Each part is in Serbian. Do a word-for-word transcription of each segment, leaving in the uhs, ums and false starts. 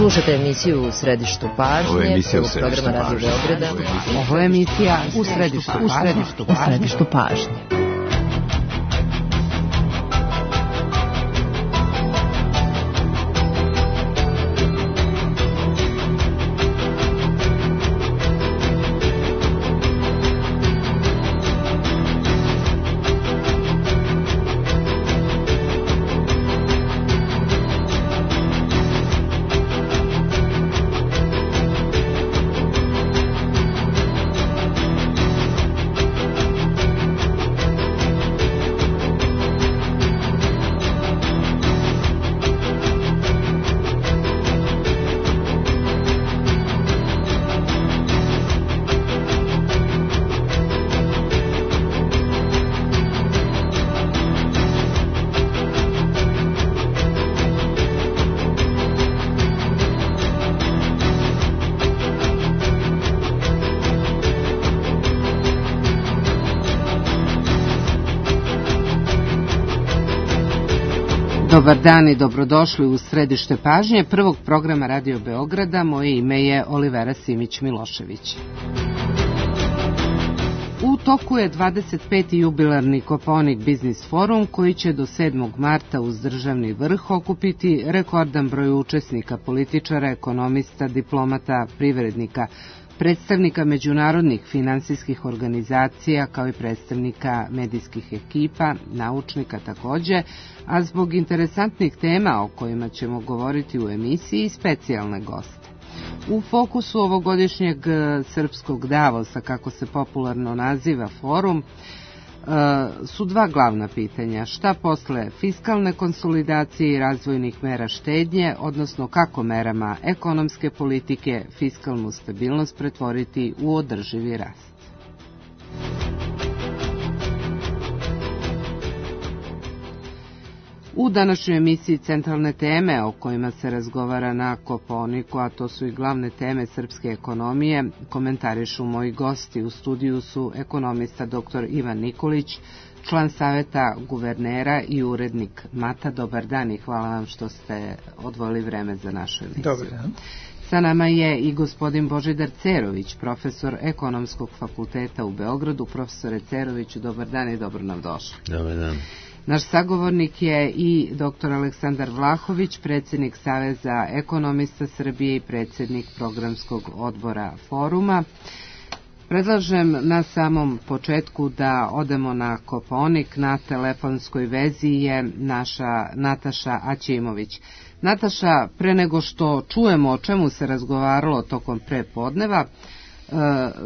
Slušate emisiju U središtu pažnje, prvog programa Radio Beograda. Ovo je emisija U središtu pažnje. Dobar dan i dobrodošli u središte pažnje prvog programa Radio Beograda. Moje ime je Olivera Simić-Milošević. U toku je dvadeset peti jubilarni Kopaonik Biznis forum koji će do sedmog marta uz državni vrh okupiti rekordan broj učesnika, političara, ekonomista, diplomata, privrednika, predstavnika međunarodnih finansijskih organizacija kao i predstavnika medijskih ekipa, naučnika takođe, a zbog interesantnih tema o kojima ćemo govoriti u emisiji specijalne goste. U fokusu ovogodišnjeg srpskog Davosa, kako se popularno naziva forum, su dva glavna pitanja. Šta posle fiskalne konsolidacije i razvojnih mera štednje, odnosno kako merama ekonomske politike fiskalnu stabilnost pretvoriti u održivi rast. U današnjoj emisiji centralne teme o kojima se razgovara na Kopaoniku, a to su i glavne teme srpske ekonomije, komentarišu moji gosti. U studiju su ekonomista doktor Ivan Nikolić, član saveta guvernera i urednik Mata. Dobar dan i hvala vam što ste odvojili vreme za našu emisiju. Dobar dan. Sa nama je i gospodin Božidar Cerović, profesor Ekonomskog fakulteta u Beogradu. Profesore Ceroviću, dobar dan i dobro nam došli. Dobar dan. Naš sagovornik je i doktor Aleksandar Vlahović, predsjednik Saveza ekonomista Srbije i predsjednik programskog odbora foruma. Predlažem na samom početku da odemo na Kopaonik. Na telefonskoj vezi je naša Nataša Aćimović. Nataša, pre nego što čujemo o čemu se razgovaralo tokom prepodneva,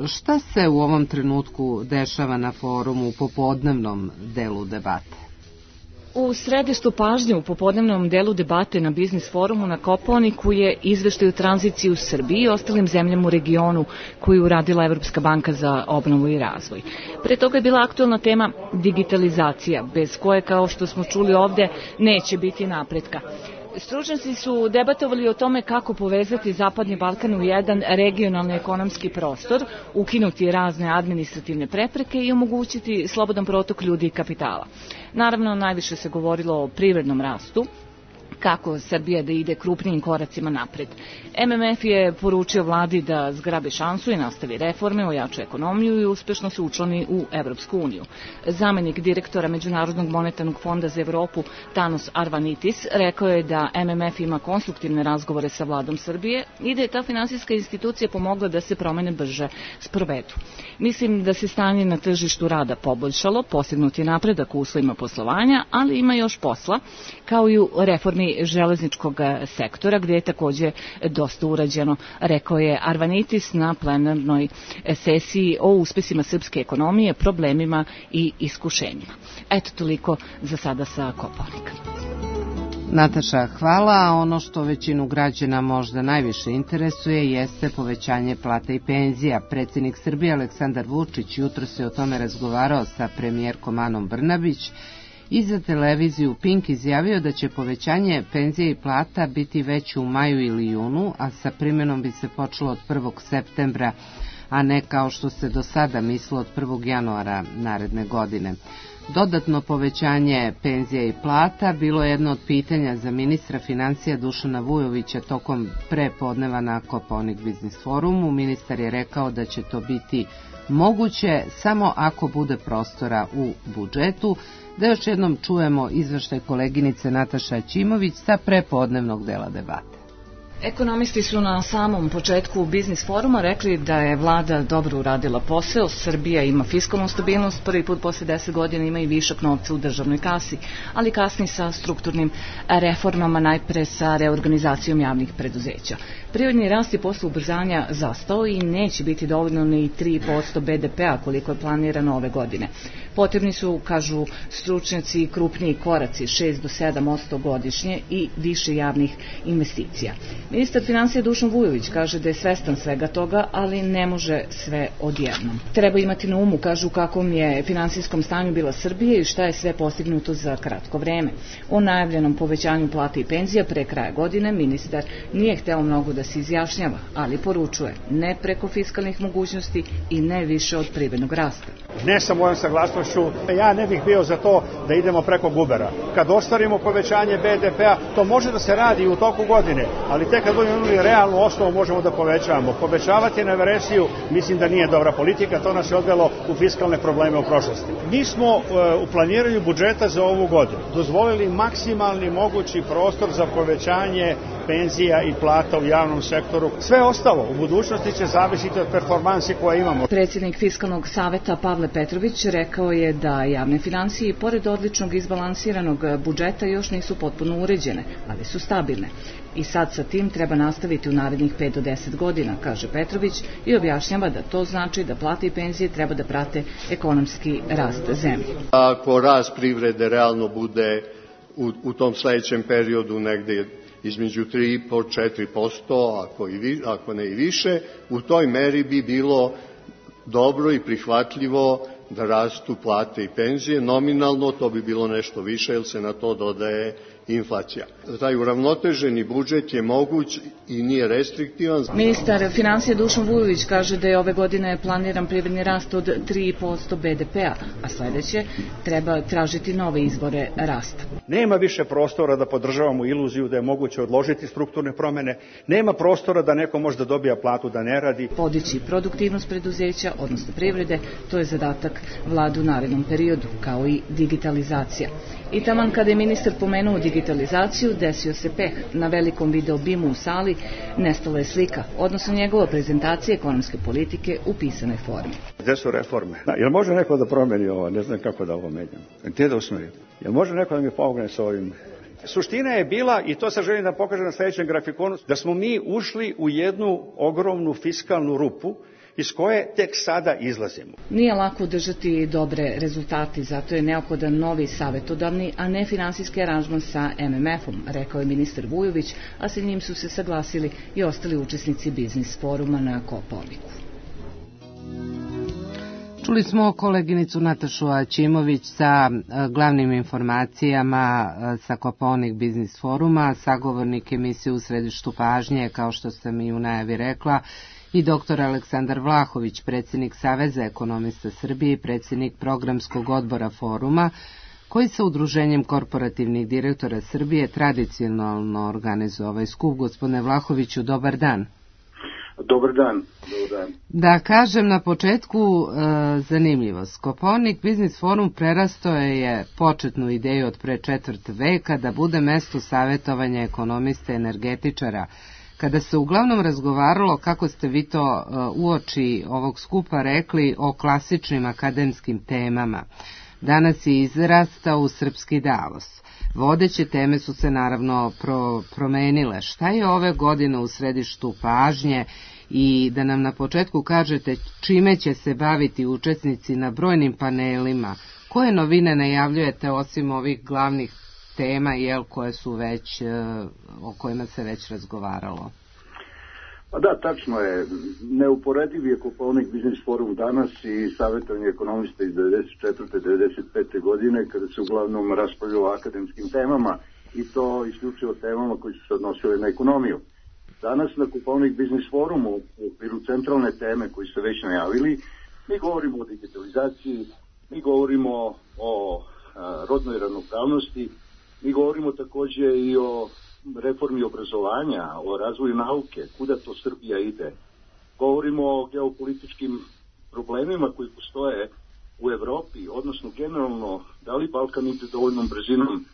šta se u ovom trenutku dešava na forumu u popodnevnom delu debate? U središtu pažnje u popodnevnom delu debate na Biznis forumu na Kopaoniku je izveštaj o tranziciji u Srbiji i ostalim zemljama u regionu koju uradila Evropska banka za obnovu i razvoj. Pre toga je bila aktuelna tema digitalizacija, bez koje, kao što smo čuli ovde, neće biti napretka. Stručnjaci su debatovali o tome kako povezati Zapadni Balkan u jedan regionalni ekonomski prostor, ukinuti razne administrativne prepreke i omogućiti slobodan protok ljudi i kapitala. Naravno, najviše se govorilo o privrednom rastu, kako Srbija da ide krupnijim koracima napred. M M F je poručio vladi da zgrabi šansu i nastavi reforme, ojača ekonomiju i uspešno se učlani u Evropsku uniju. Zamenik direktora Međunarodnog monetarnog fonda za Evropu Tanos Arvanitis rekao je da M M F ima konstruktivne razgovore sa vladom Srbije i da je ta finansijska institucija pomogla da se promene brže sprovedu. Mislim da se stanje na tržištu rada poboljšalo, postignut je napredak u uslovima poslovanja, ali ima još posla, kao i u reformi železničkog sektora, gdje je takođe dosta urađeno, rekao je Arvanitis na plenarnoj sesiji o uspesima srpske ekonomije, problemima i iskušenjima. Eto, toliko za sada sa Kopaonika. Nataša, hvala. Ono što većinu građana možda najviše interesuje jeste povećanje plata i penzija. Predsjednik Srbije Aleksandar Vučić jutro se o tome razgovarao sa premijerkom Anom Brnabić i za televiziju Pink izjavio da će povećanje penzija i plata biti veće u maju ili junu, a sa primjenom bi se počelo od prvog septembra, a ne kao što se do sada mislilo od prvog januara naredne godine. Dodatno povećanje penzija i plata bilo je jedno od pitanja za ministra financija Dušana Vujovića tokom prepodneva na Kopaonik Biznis forumu. Ministar je rekao da će to biti moguće samo ako bude prostora u budžetu. Da još jednom čujemo izveštaj koleginice Nataše Aćimović sa prepodnevnog dela debate. Ekonomisti su na samom početku Biznis foruma rekli da je vlada dobro uradila posao, Srbija ima fiskalnu stabilnost, prvi put posle deset godina ima i višak novca u državnoj kasi, ali kasni sa strukturnim reformama, najpre sa reorganizacijom javnih preduzeća. Privredni rast je posle ubrzanja zastao i neće biti dovoljno ni tri posto be de pea koliko je planirano ove godine. Potrebni su, kažu stručnjaci, krupniji koraci, šest do sedam posto godišnje i više javnih investicija. Ministar financija Dušan Vujović kaže da je svestan svega toga, ali ne može sve odjednom. Treba imati na umu, kažu, kakvom je finansijskom stanju bila Srbija i šta je sve postignuto za kratko vreme. O najavljenom povećanju plata i penzija pre kraja godine ministar nije hteo mnogo da se izjašnjava, ali poručuje ne preko fiskalnih mogućnosti i ne više od privrednog rasta. Ne sa mojom saglasnošću, ja ne bih bio za to da idemo preko gubera. Kad ostvarimo povećanje be de pea, to može da se radi i u toku godine, ali tek kad budemo imali realnu osnovu možemo da povećavamo. Povećavati na veresiju mislim da nije dobra politika, to nas je odvelo u fiskalne probleme u prošlosti. Mi smo u planiranju budžeta za ovu godinu dozvolili maksimalni mogući prostor za povećanje penzija i plata u javnom sektoru. Sve ostalo u budućnosti će zavisiti od performansi koje imamo. Predsjednik Fiskalnog saveta Pavle Petrović rekao je da javne finansije, pored odličnog izbalansiranog budžeta, još nisu potpuno uređene, ali su stabilne. I sad sa tim treba nastaviti u narednih pet do deset godina, kaže Petrović, i objašnjava da to znači da plate i penzije treba da prate ekonomski rast zemlje. Ako rast privrede realno bude u, u tom sledećem periodu negde između tri i po do četiri posto, ako, i, ako ne i više, u toj meri bi bilo dobro i prihvatljivo da rastu plate i penzije. Nominalno to bi bilo nešto više, jer se na to dodaje inflacija. Taj uravnoteženi budžet je moguć i nije restriktivan. Ministar financija Dušan Vujović kaže da je ove godine planiran privredni rast od tri posto be de pea, a sledeće treba tražiti nove izvore rasta. Nema više prostora da podržavamo iluziju da je moguće odložiti strukturne promene, nema prostora da neko može da dobija platu da ne radi. Podići produktivnost preduzeća, odnosno privrede, to je zadatak vlade u narednom periodu, kao i digitalizacija. I taman kada je ministar pomenuo digitalizaciju, desio se peh. Na velikom video bimu u sali nestala je slika, odnosno njegova prezentacija ekonomske politike u pisanoj formi. Gde su reforme? Da, jel može neko da promeni ovo? Ne znam kako da ovo menjam. Gde da usmerim? Jel može neko da mi pomogne sa ovim? Suština je bila, i to sad želim da pokažem na sledećem grafikonu, da smo mi ušli u jednu ogromnu fiskalnu rupu iz koje tek sada izlazimo. Nije lako držati dobre rezultate, zato je neophodan novi savetodavni, a ne finansijski aranžman sa em em efom, rekao je ministar Vujović, a sa njim su se saglasili i ostali učesnici Biznis foruma na Kopaoniku. Čuli smo koleginicu Natašu Aćimović sa glavnim informacijama sa Kopaonik Biznis foruma, sagovornik emisije U središtu pažnje, kao što sam i u najavi rekla, i doktor Aleksandar Vlahović, predsjednik Saveza ekonomista Srbije i predsjednik programskog odbora foruma, koji sa Udruženjem korporativnih direktora Srbije tradicionalno organizuje ovaj skup. Gospodine Vlahoviću, dobar dan. Dobar dan. Dobar dan. Da kažem na početku e, zanimljivost. Kopaonik Biznis forum prerastao je početnu ideju od pre četvrt veka da bude mesto savjetovanja ekonomista i energetičara, kada se uglavnom razgovaralo, kako ste vi to uoči ovog skupa rekli, o klasičnim akademskim temama. Danas je izrastao u srpski Davos. Vodeće teme su se naravno pro, promenile. Šta je ove godine u središtu pažnje i da nam na početku kažete čime će se baviti učesnici na brojnim panelima? Koje novine najavljujete osim ovih glavnih tema, jel, koje su već, o kojima se već razgovaralo? Pa da, tačno je. Neuporediv je Kopaonik Biznis forum danas i savjetovanje ekonomista iz devedeset četvrte do devedeset pete godine, kada se uglavnom raspravljalo o akademskim temama, i to isključivo temama koji su se odnosile na ekonomiju. Danas na Kopaonik Biznis forumu, u okviru centralne teme koji su već najavili, mi govorimo o digitalizaciji, mi govorimo o a, rodnoj ravnopravnosti, mi govorimo takođe i o reformi obrazovanja, o razvoju nauke, kuda to Srbija ide. Govorimo o geopolitičkim problemima koji postoje u Evropi, odnosno generalno da li Balkan ide dovoljnom brzinom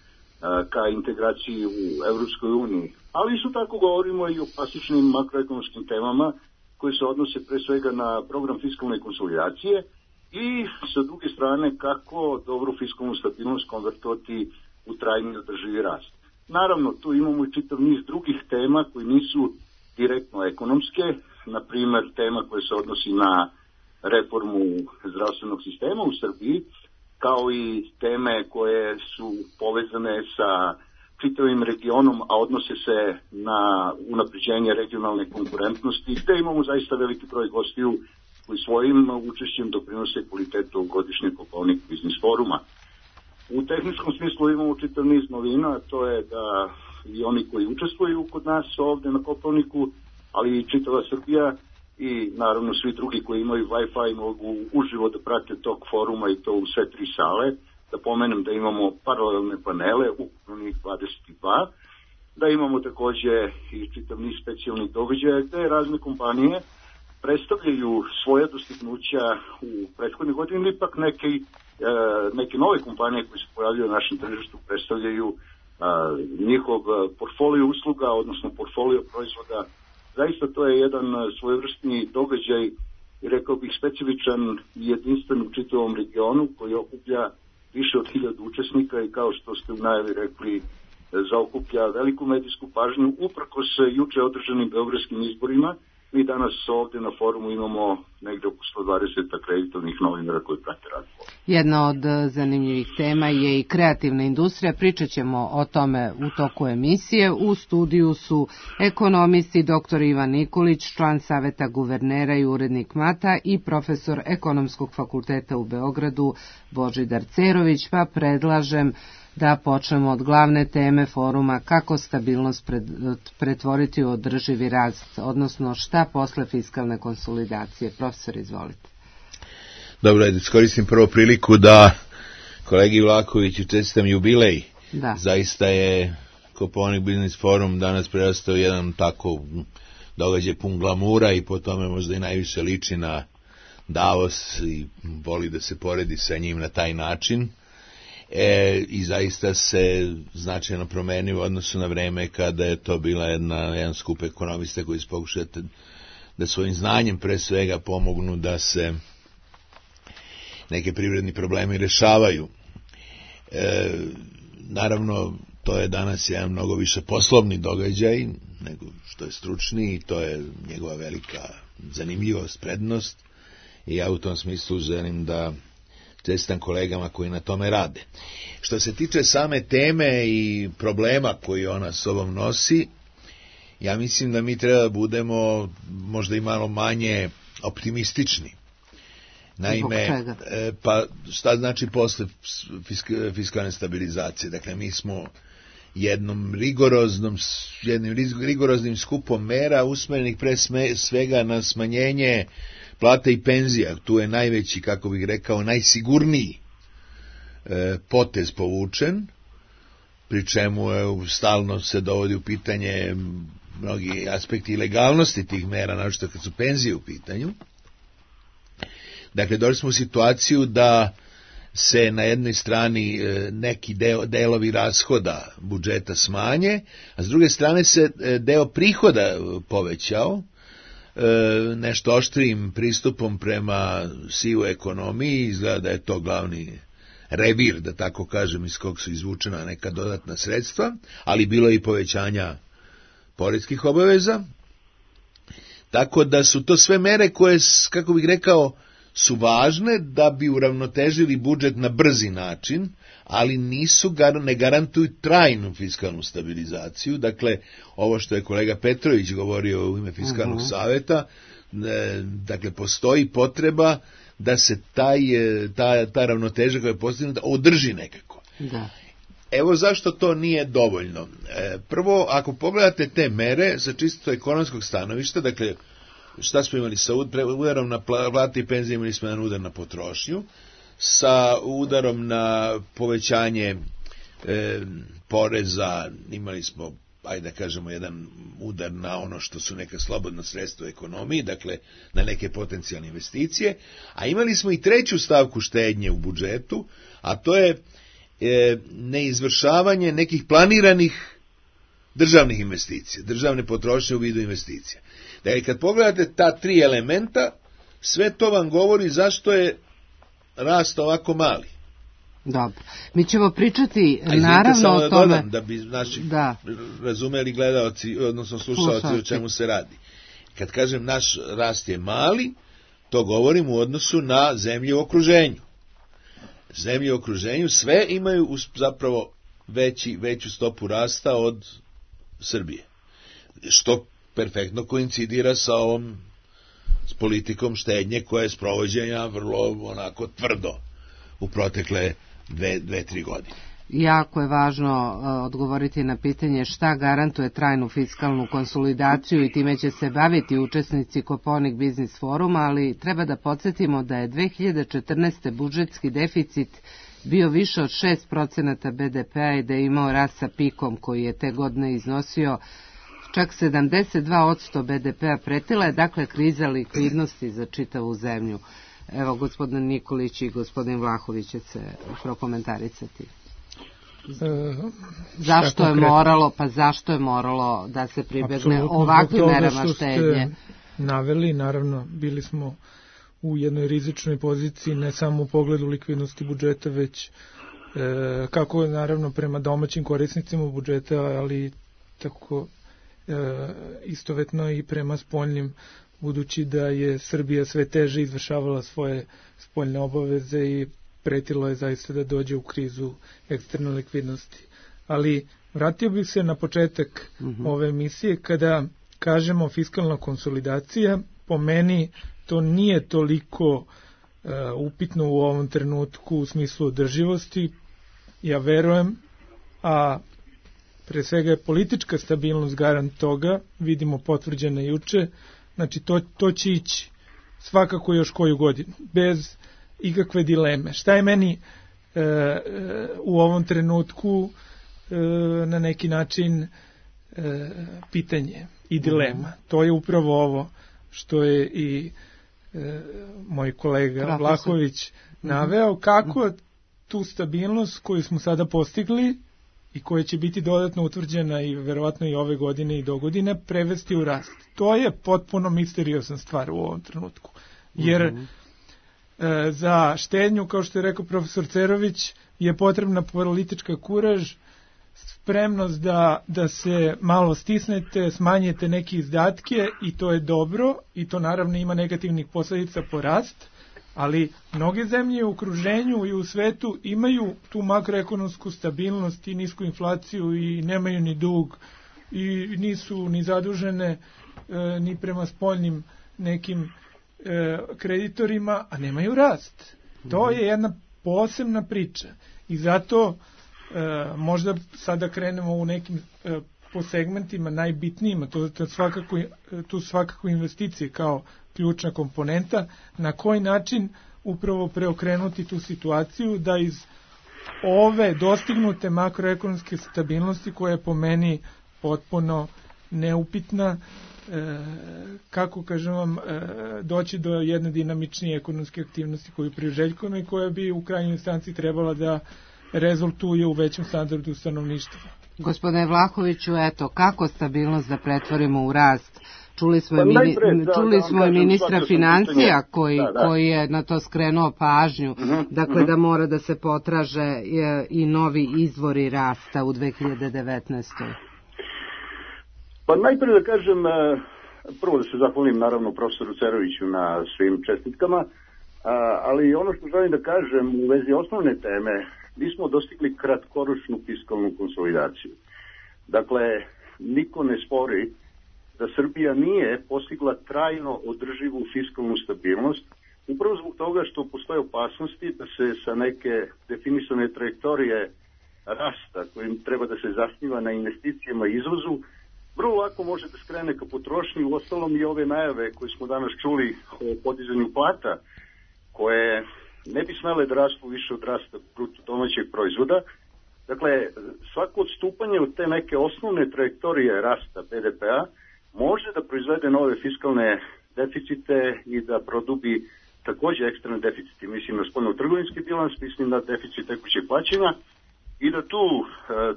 a, ka integraciji u Evropskoj uniji. Ali isto tako govorimo i o klasičnim makroekonomskim temama koje se odnose pre svega na program fiskalne konsolidacije i sa druge strane kako dobru fiskalnu stabilnost konvertovati u trajni održivi rast. Naravno, tu imamo i čitav niz drugih tema koji nisu direktno ekonomske, na primer tema koja se odnosi na reformu zdravstvenog sistema u Srbiji, kao i teme koje su povezane sa čitavim regionom, a odnose se na unapređenje regionalne konkurentnosti, gde imamo zaista veliki broj gostiju koji svojim učešćem doprinose kvalitetu godišnjeg Kopaonik biznis foruma. U tehničkom smislu imamo čitav niz novina, to je da i oni koji učestvuju kod nas ovde na Kopaoniku, ali i čitava Srbija i naravno svi drugi koji imaju Wi-Fi mogu uživo da prate tog foruma i to u sve tri sale. Da pomenem da imamo paralelne panele, ukupno njih dvadeset dva, da imamo takođe i čitav niz specijalnih događaja gde razne kompanije predstavljaju svoje dostignuća u prethodne godine, ili ipak neke, e, neke nove kompanije koje se pojavljaju na našem tržištu predstavljaju e, njihov portfolio usluga, odnosno portfolio proizvoda. Zaista to je jedan svojevrsni događaj i rekao bih specifičan i jedinstven u čitavom regionu koji okuplja više od hiljadu učesnika i kao što ste u najavi rekli zaokuplja veliku medijsku pažnju uprkos juče održanim beogradskim izborima. Mi danas ovde na forumu imamo negde oko sto dvadeset akreditovnih novinara koji prate rad. Jedna od zanimljivih tema je i kreativna industrija. Pričat ćemo o tome u toku emisije. U studiju su ekonomisti doktor Ivan Nikolić, član Saveta guvernera i urednik Mata i profesor Ekonomskog fakulteta u Beogradu Božidar Cerović, pa predlažem da počnemo od glavne teme foruma kako stabilnost pred, pretvoriti u održivi rast, odnosno šta posle fiskalne konsolidacije. Profesor, izvolite. Dobro, da iskoristim prvo priliku da kolegi Vlahoviću čestitam jubilej. Da. Zaista je Kopaonik biznis forum danas prerastao jedan tako događaj pun glamura i po tome možda i najviše liči na Davos i voli da se poredi sa njim na taj način. E, i zaista se značajno promenio u odnosu na vreme kada je to bila jedna, jedan skup ekonomista koji se pokušate da svojim znanjem pre svega pomognu da se neke privredni problemi rešavaju. E, naravno, to je danas jedan mnogo više poslovni događaj nego što je stručni i to je njegova velika zanimljivost, prednost i ja u tom smislu želim da čestitam kolegama koji na tome rade. Što se tiče same teme i problema koji ona sobom nosi, ja mislim da mi treba da budemo možda i malo manje optimistični. Naime, pa šta znači posle fiskalne stabilizacije? Dakle, mi smo jednom rigoroznom, jednim rigoroznim skupom mera usmerenih pre svega na smanjenje plata i penzija. Tu je najveći, kako bih rekao, najsigurniji e, potez povučen, pri čemu je, stalno se dovodi u pitanje mnogi aspekti ilegalnosti tih mera, naročito kad su penzije u pitanju. Dakle, došli smo u situaciju da se na jednoj strani neki deo, delovi rashoda budžeta smanje, a s druge strane se deo prihoda povećao, nešto oštrijim pristupom prema sivoj ekonomiji. Izgleda da je to glavni revir, da tako kažem, iz kog su izvučena neka dodatna sredstva, ali bilo je i povećanja poreskih obaveza. Tako da su to sve mere koje, kako bih rekao, su važne da bi uravnotežili budžet na brzi način, ali nisu, ne garantuju trajnu fiskalnu stabilizaciju. Dakle, ovo što je kolega Petrović govorio u ime Fiskalnog uh-huh. saveta, dakle, postoji potreba da se taj, ta, ta ravnoteža koja je postignuta održi nekako. Da. Evo zašto to nije dovoljno. Prvo, ako pogledate te mere sa čisto ekonomskog stanovišta, dakle, šta smo imali sa udarom na plate i penzije, imali smo jedan udar na potrošnju. sa udarom na povećanje e, poreza, imali smo, ajde da kažemo, jedan udar na ono što su neka slobodna sredstva u ekonomiji, dakle na neke potencijalne investicije, a imali smo i treću stavku štednje u budžetu, a to je e, neizvršavanje nekih planiranih državnih investicija, državne potrošnje u vidu investicija. Dakle, kad pogledate ta tri elementa, sve to vam govori zašto je rast ovako mali. Dobro. Mi ćemo pričati A naravno o da tome. dodam, da bi naši da. razumeli gledaoci, odnosno slušaoci o čemu se radi. Kad kažem naš rast je mali, to govorim u odnosu na zemlje u okruženju. Zemlje u okruženju sve imaju zapravo veći, veću stopu rasta od Srbije. Što perfektno koincidira sa ovom s politikom štednje koja je sprovođenja vrlo onako tvrdo u protekle dve, dve, tri godine. Jako je važno uh, odgovoriti na pitanje šta garantuje trajnu fiskalnu konsolidaciju i time će se baviti učesnici Kopaonik Biznis foruma, ali treba da podsjetimo da je dve hiljade četrnaeste. budžetski deficit bio više od šest procenata be de pe-a i da je imao rast sa pikom koji je te godine iznosio čak sedamdeset dva posto be de pe-a. Pretila je dakle kriza likvidnosti za čitavu zemlju. Evo, gospodin Nikolić i gospodin Vlahović će se prokomentarisati. E, zašto je moralo, pa zašto je moralo da se pribegne ovakvim merama štednje? Naveli, naravno, bili smo u jednoj rizičnoj poziciji, ne samo u pogledu likvidnosti budžeta, već e, kako naravno prema domaćim korisnicima budžeta, ali tako e, istovetno i prema spoljnim, budući da je Srbija sve teže izvršavala svoje spoljne obaveze i pretilo je zaista da dođe u krizu eksterne likvidnosti. Ali vratio bih se na početak uh-huh. ove emisije, kada kažemo fiskalna konsolidacija, po meni to nije toliko uh, upitno u ovom trenutku u smislu održivosti. Ja verujem, a pre svega je politička stabilnost garant toga, vidimo potvrđena juče, znači to, to će ići svakako još koju godinu, bez ikakve dileme. Šta je meni e, e, u ovom trenutku e, na neki način e, pitanje i dilema? To je upravo ovo što je i e, moj kolega Profesor. Vlahović naveo, kako tu stabilnost koju smo sada postigli i koja će biti dodatno utvrđena i verovatno i ove godine i do godine prevesti u rast. To je potpuno misteriozna stvar u ovom trenutku. Jer mm-hmm. e, za štednju, kao što je rekao profesor Cerović, je potrebna politička kuraž, spremnost da, da se malo stisnete, smanjite neke izdatke i to je dobro i to naravno ima negativnih posledica po rast, ali mnoge zemlje u okruženju i u svetu imaju tu makroekonomsku stabilnost i nisku inflaciju i nemaju ni dug i nisu ni zadužene e, ni prema spoljnim nekim e, kreditorima, a nemaju rast. To je jedna posebna priča i zato e, možda sada krenemo u nekim e, po segmentima najbitnijima, to, to svakako, tu svakako investicije kao ključna komponenta, na koji način upravo preokrenuti tu situaciju da iz ove dostignute makroekonomske stabilnosti, koja je po meni potpuno neupitna, e, kako kažem vam, e, doći do jedne dinamičnije ekonomske aktivnosti koju priželjkujemo i koja bi u krajnjoj instanci trebala da rezultuje u većem standardu stanovništva. Gospodine Vlahoviću, eto, kako stabilnost da pretvorimo u rast? Čuli smo, pa mini, najpred, da, čuli da, smo da, i ministra financija koji, da, da. koji je na to skrenuo pažnju, uh-huh, dakle uh-huh. da mora da se potraže i novi izvori rasta u dve hiljade devetnaestoj. Pa najpred da kažem, prvo da se zahvalim naravno profesoru Ceroviću na svim čestitkama, ali ono što želim da kažem u vezi osnovne teme, mi smo dostigli kratkoročnu fiskalnu konsolidaciju. Dakle, niko ne spori da Srbija nije postigla trajno održivu fiskalnu stabilnost, upravo zbog toga što postoje opasnosti da se sa neke definisane trajektorije rasta, kojim treba da se zasniva na investicijama i izvozu, vrlo lako može da skrene ka potrošnji. U ostalom i ove najave koje smo danas čuli o podizanju plata, koje ne bi smele da rastu više od rasta bruto domaćeg proizvoda. Dakle, svako odstupanje od te neke osnovne trajektorije rasta be de pe-a može da proizvede nove fiskalne deficite i da produbi takođe ekstremne deficite. Mislim na spoljno-trgovinski bilans, mislim na deficit tekućeg plaćanja i da tu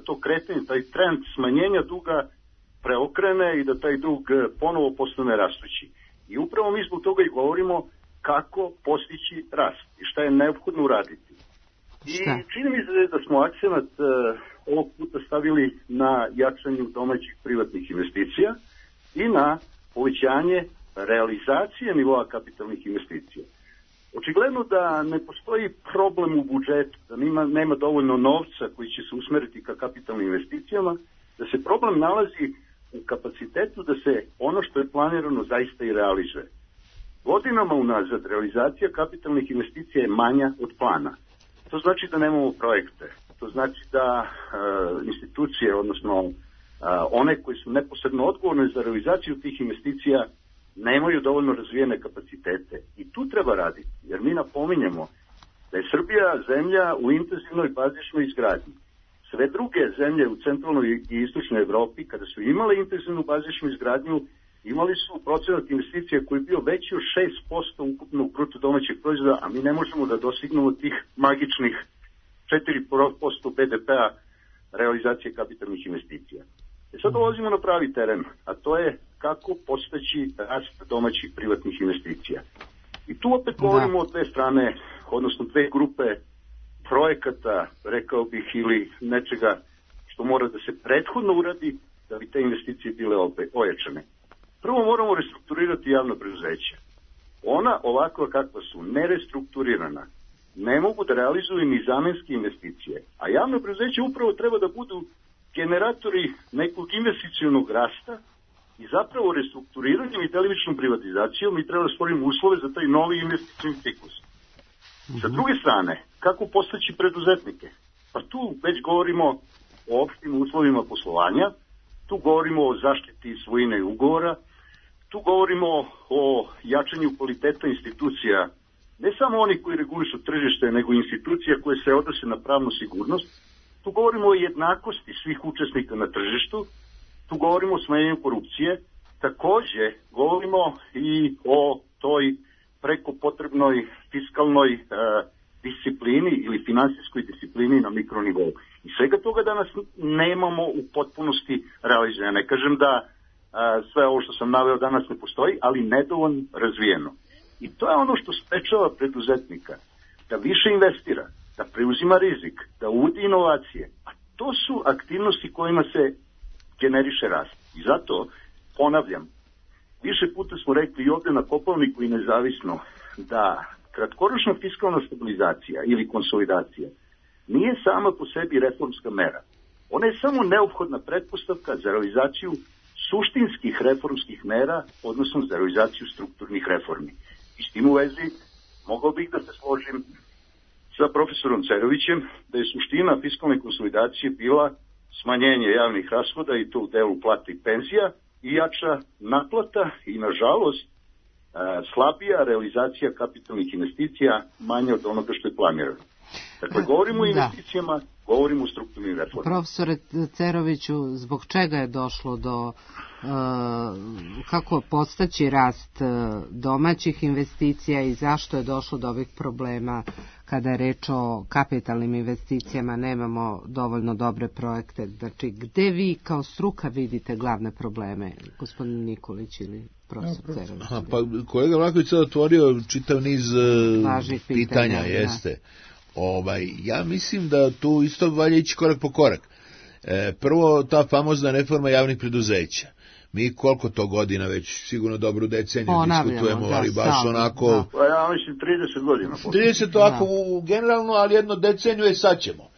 to kretanje, taj trend smanjenja duga preokrene i da taj dug ponovo postane rastući. I upravo mi zbog toga i govorimo kako postići rast i šta je neophodno uraditi. I čini mi se da smo akcenat uh, ovog puta stavili na jačanju domaćih privatnih investicija i na povećanje realizacije nivoa kapitalnih investicija. Očigledno da ne postoji problem u budžetu, da nema, nema dovoljno novca koji će se usmeriti ka kapitalnim investicijama, da se problem nalazi u kapacitetu da se ono što je planirano zaista i realizuje. Godinama unazad realizacija kapitalnih investicija je manja od plana. To znači da nemamo projekte. To znači da uh, institucije, odnosno uh, one koji su neposredno odgovorne za realizaciju tih investicija, nemaju dovoljno razvijene kapacitete. I tu treba raditi, jer mi napominjemo da je Srbija zemlja u intenzivnoj bazičnoj izgradnji. Sve druge zemlje u centralnoj i istočnoj Evropi, kada su imale intenzivnu bazičnu izgradnju, imali su procenat investicija koji je bio veći od šest posto ukupnog bruto domaćeg proizvoda, a mi ne možemo da dostignemo tih magičnih četiri posto be de pe-a realizacije kapitalnih investicija. E sad dolazimo na pravi teren, a to je kako postaći rast domaćih privatnih investicija. I tu opet govorimo o dve strane, odnosno dve grupe projekata, rekao bih, ili nečega što mora da se prethodno uradi da bi te investicije bile ojačane. Prvo moramo restrukturirati javno preduzeće. Ona, ovakva kakva su, nerestrukturirana, ne mogu da realizuju ni zamenske investicije. A javno preduzeće upravo treba da budu generatori nekog investicionog rasta i zapravo restrukturiranjem i delimičnom privatizacijom mi treba da stvorimo uslove za taj novi investicioni ciklus. Sa druge strane, kako postaći preduzetnike? Pa tu već govorimo o opštim uslovima poslovanja, tu govorimo o zaštiti svojine i ugovora, tu govorimo o jačanju kvaliteta institucija, ne samo oni koji regulišu tržište, nego institucija koje se odnose na pravnu sigurnost. Tu govorimo o jednakosti svih učesnika na tržištu, tu govorimo o smanjenju korupcije, takođe govorimo i o toj preko potrebnoj fiskalnoj e, disciplini ili finansijskoj disciplini na mikronivou. I svega toga danas nemamo u potpunosti realizirano. Ne kažem da e, sve ovo što sam naveo danas ne postoji, ali nedovoljno razvijeno. I to je ono što sprečava preduzetnika da više investira, da preuzima rizik, da uvodi inovacije. A to su aktivnosti kojima se generiše rast. I zato, ponavljam, više puta smo rekli i ovde na Kopaoniku i nezavisno da kratkoročna fiskalna stabilizacija ili konsolidacija nije sama po sebi reformska mera. Ona je samo neophodna pretpostavka za realizaciju suštinskih reformskih mera, odnosno za realizaciju strukturnih reformi. I s tim u vezi mogao bih da se složim sa profesorom Cerovićem da je suština fiskalne konsolidacije bila smanjenje javnih rashoda i to u delu plata i penzija i jača naplata i nažalost slabija realizacija kapitalnih investicija manje od onoga što je planirano. Dakle, govorimo o investicijama, da. Govorimo o strukturnim reformama. Profesore Ceroviću, zbog čega je došlo do, uh, kako postaći rast domaćih investicija i zašto je došlo do ovih problema kada je reč o kapitalnim investicijama, nemamo dovoljno dobre projekte? Znači, gde vi kao struka vidite glavne probleme, gospodin Nikolić ili profesor Cerović? Aha, pa kolega Vlaković je otvorio čitav niz Važnih pitanja, pitanja jeste. Da. Ovaj, ja mislim da tu isto valja ići korak po korak. E, prvo, ta famozna reforma javnih preduzeća. Mi koliko to godina već, sigurno dobru deceniju diskutujemo, da, ali baš sam, onako... Da. Pa ja mislim trideset godina. trideset ovako da. Generalno, ali jedno deceniju je sad ćemo.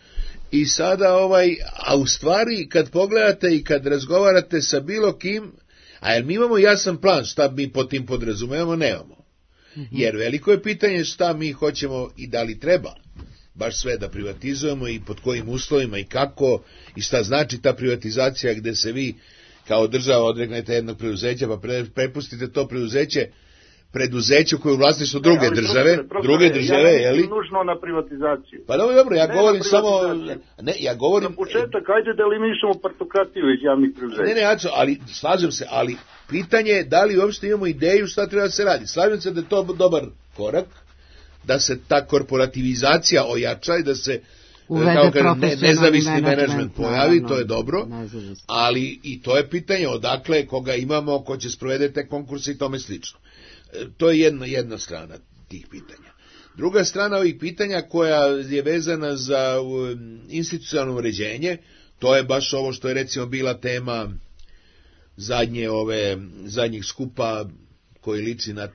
I sada, ovaj, a u stvari, kad pogledate i kad razgovarate sa bilo kim, a jer mi imamo jasan plan šta mi po tim podrazumevamo, nemamo. Mm-hmm. Jer veliko je pitanje šta mi hoćemo i da li treba baš sve da privatizujemo i pod kojim uslovima i kako i šta znači ta privatizacija gde se vi kao država odreknete jednog preduzeća pa pre, prepustite to preduzeće preduzeću koje je u vlasništvu druge ne, ali, države, profesore, druge države, ja je li? nužno na privatizaciju. Pa dobro, dobro, ja ne govorim samo, ne, ja govorim... Na početak, ajde da eliminišemo partokratiju iz javnih preduzeća. Ne, ne, Aco, ali, slažem se, ali pitanje je da li uopšte imamo ideju šta treba da se radi. Slažem se da je to dobar korak, da se ta korporativizacija ojača i da se uvede kao ne, nezavisni menadžment pojavi, naravno, to je dobro, nezavisni. Ali i to je pitanje odakle, koga imamo, ko će sprovede te konkurse i tome slično. E, to je jedna, jedna strana tih pitanja. Druga strana ovih pitanja koja je vezana za um, institucionalno uređenje, to je baš ovo što je recimo bila tema zadnje ove, zadnjih skupa koji liči na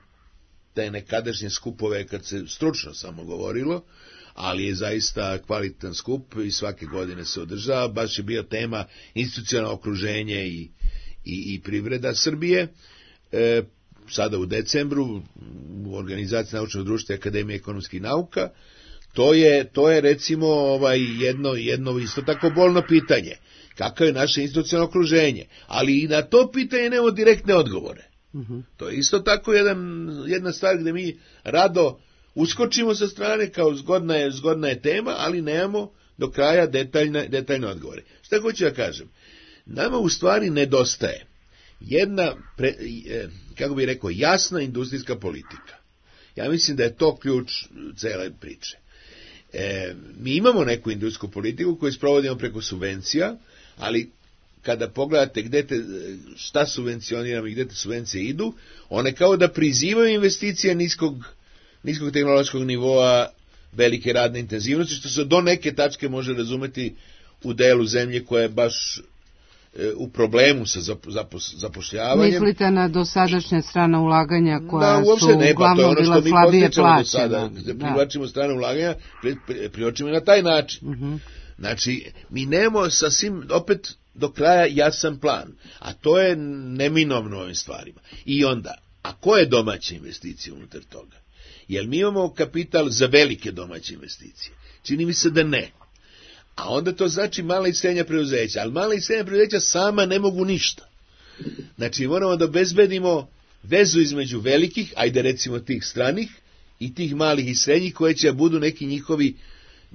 te nekadašnje skupove kad se stručno samo govorilo, ali je zaista kvalitetan skup i svake godine se održava. Baš je bio tema institucionalno okruženje i, i, i privreda Srbije. E, sada u decembru u organizaciji Naučnog društva i Akademije ekonomskih nauka. To je, to je recimo ovaj jedno, jedno isto tako bolno pitanje. Kako je naše institucionalno okruženje? Ali i na to pitanje nemamo direktne odgovore. Uh-huh. To je isto tako jedan, jedna stvar gde mi rado uskočimo sa strane kao zgodna je, zgodna je tema, ali nemamo do kraja detaljne, detaljne odgovore. Šta hoću da kažem? Nama u stvari nedostaje jedna, pre, kako bih rekao, jasna industrijska politika. Ja mislim da je to ključ cele priče. E, mi imamo neku industrijsku politiku koju sprovodimo preko subvencija, ali kada pogledate gde te, šta subvencioniramo i gde te subvencije idu, one kao da prizivaju investicije niskog, niskog tehnološkog nivoa, velike radne intenzivnosti, što se do neke tačke može razumeti u delu zemlje koja je baš e, u problemu sa zapos, zapošljavanjem. Mislite na dosadašnje strana ulaganja koja da, su ne, uglavnom ono bila slabije plaćena? Da privlačimo strane ulaganja, pri, pri, privlačimo na taj način. Uh-huh. Znači, mi nemamo sasvim, opet, do kraja jasan plan, a to je neminovno ovim stvarima. I onda, a koje domaće investicije unutar toga? Jel mi imamo kapital za velike domaće investicije? Čini mi se da ne. A onda to znači mala i srednja preduzeća, ali mala i srednja preduzeća sama ne mogu ništa. Znači, moramo da obezbedimo vezu između velikih, ajde recimo tih stranih, i tih malih i srednjih, koje će budu neki njihovi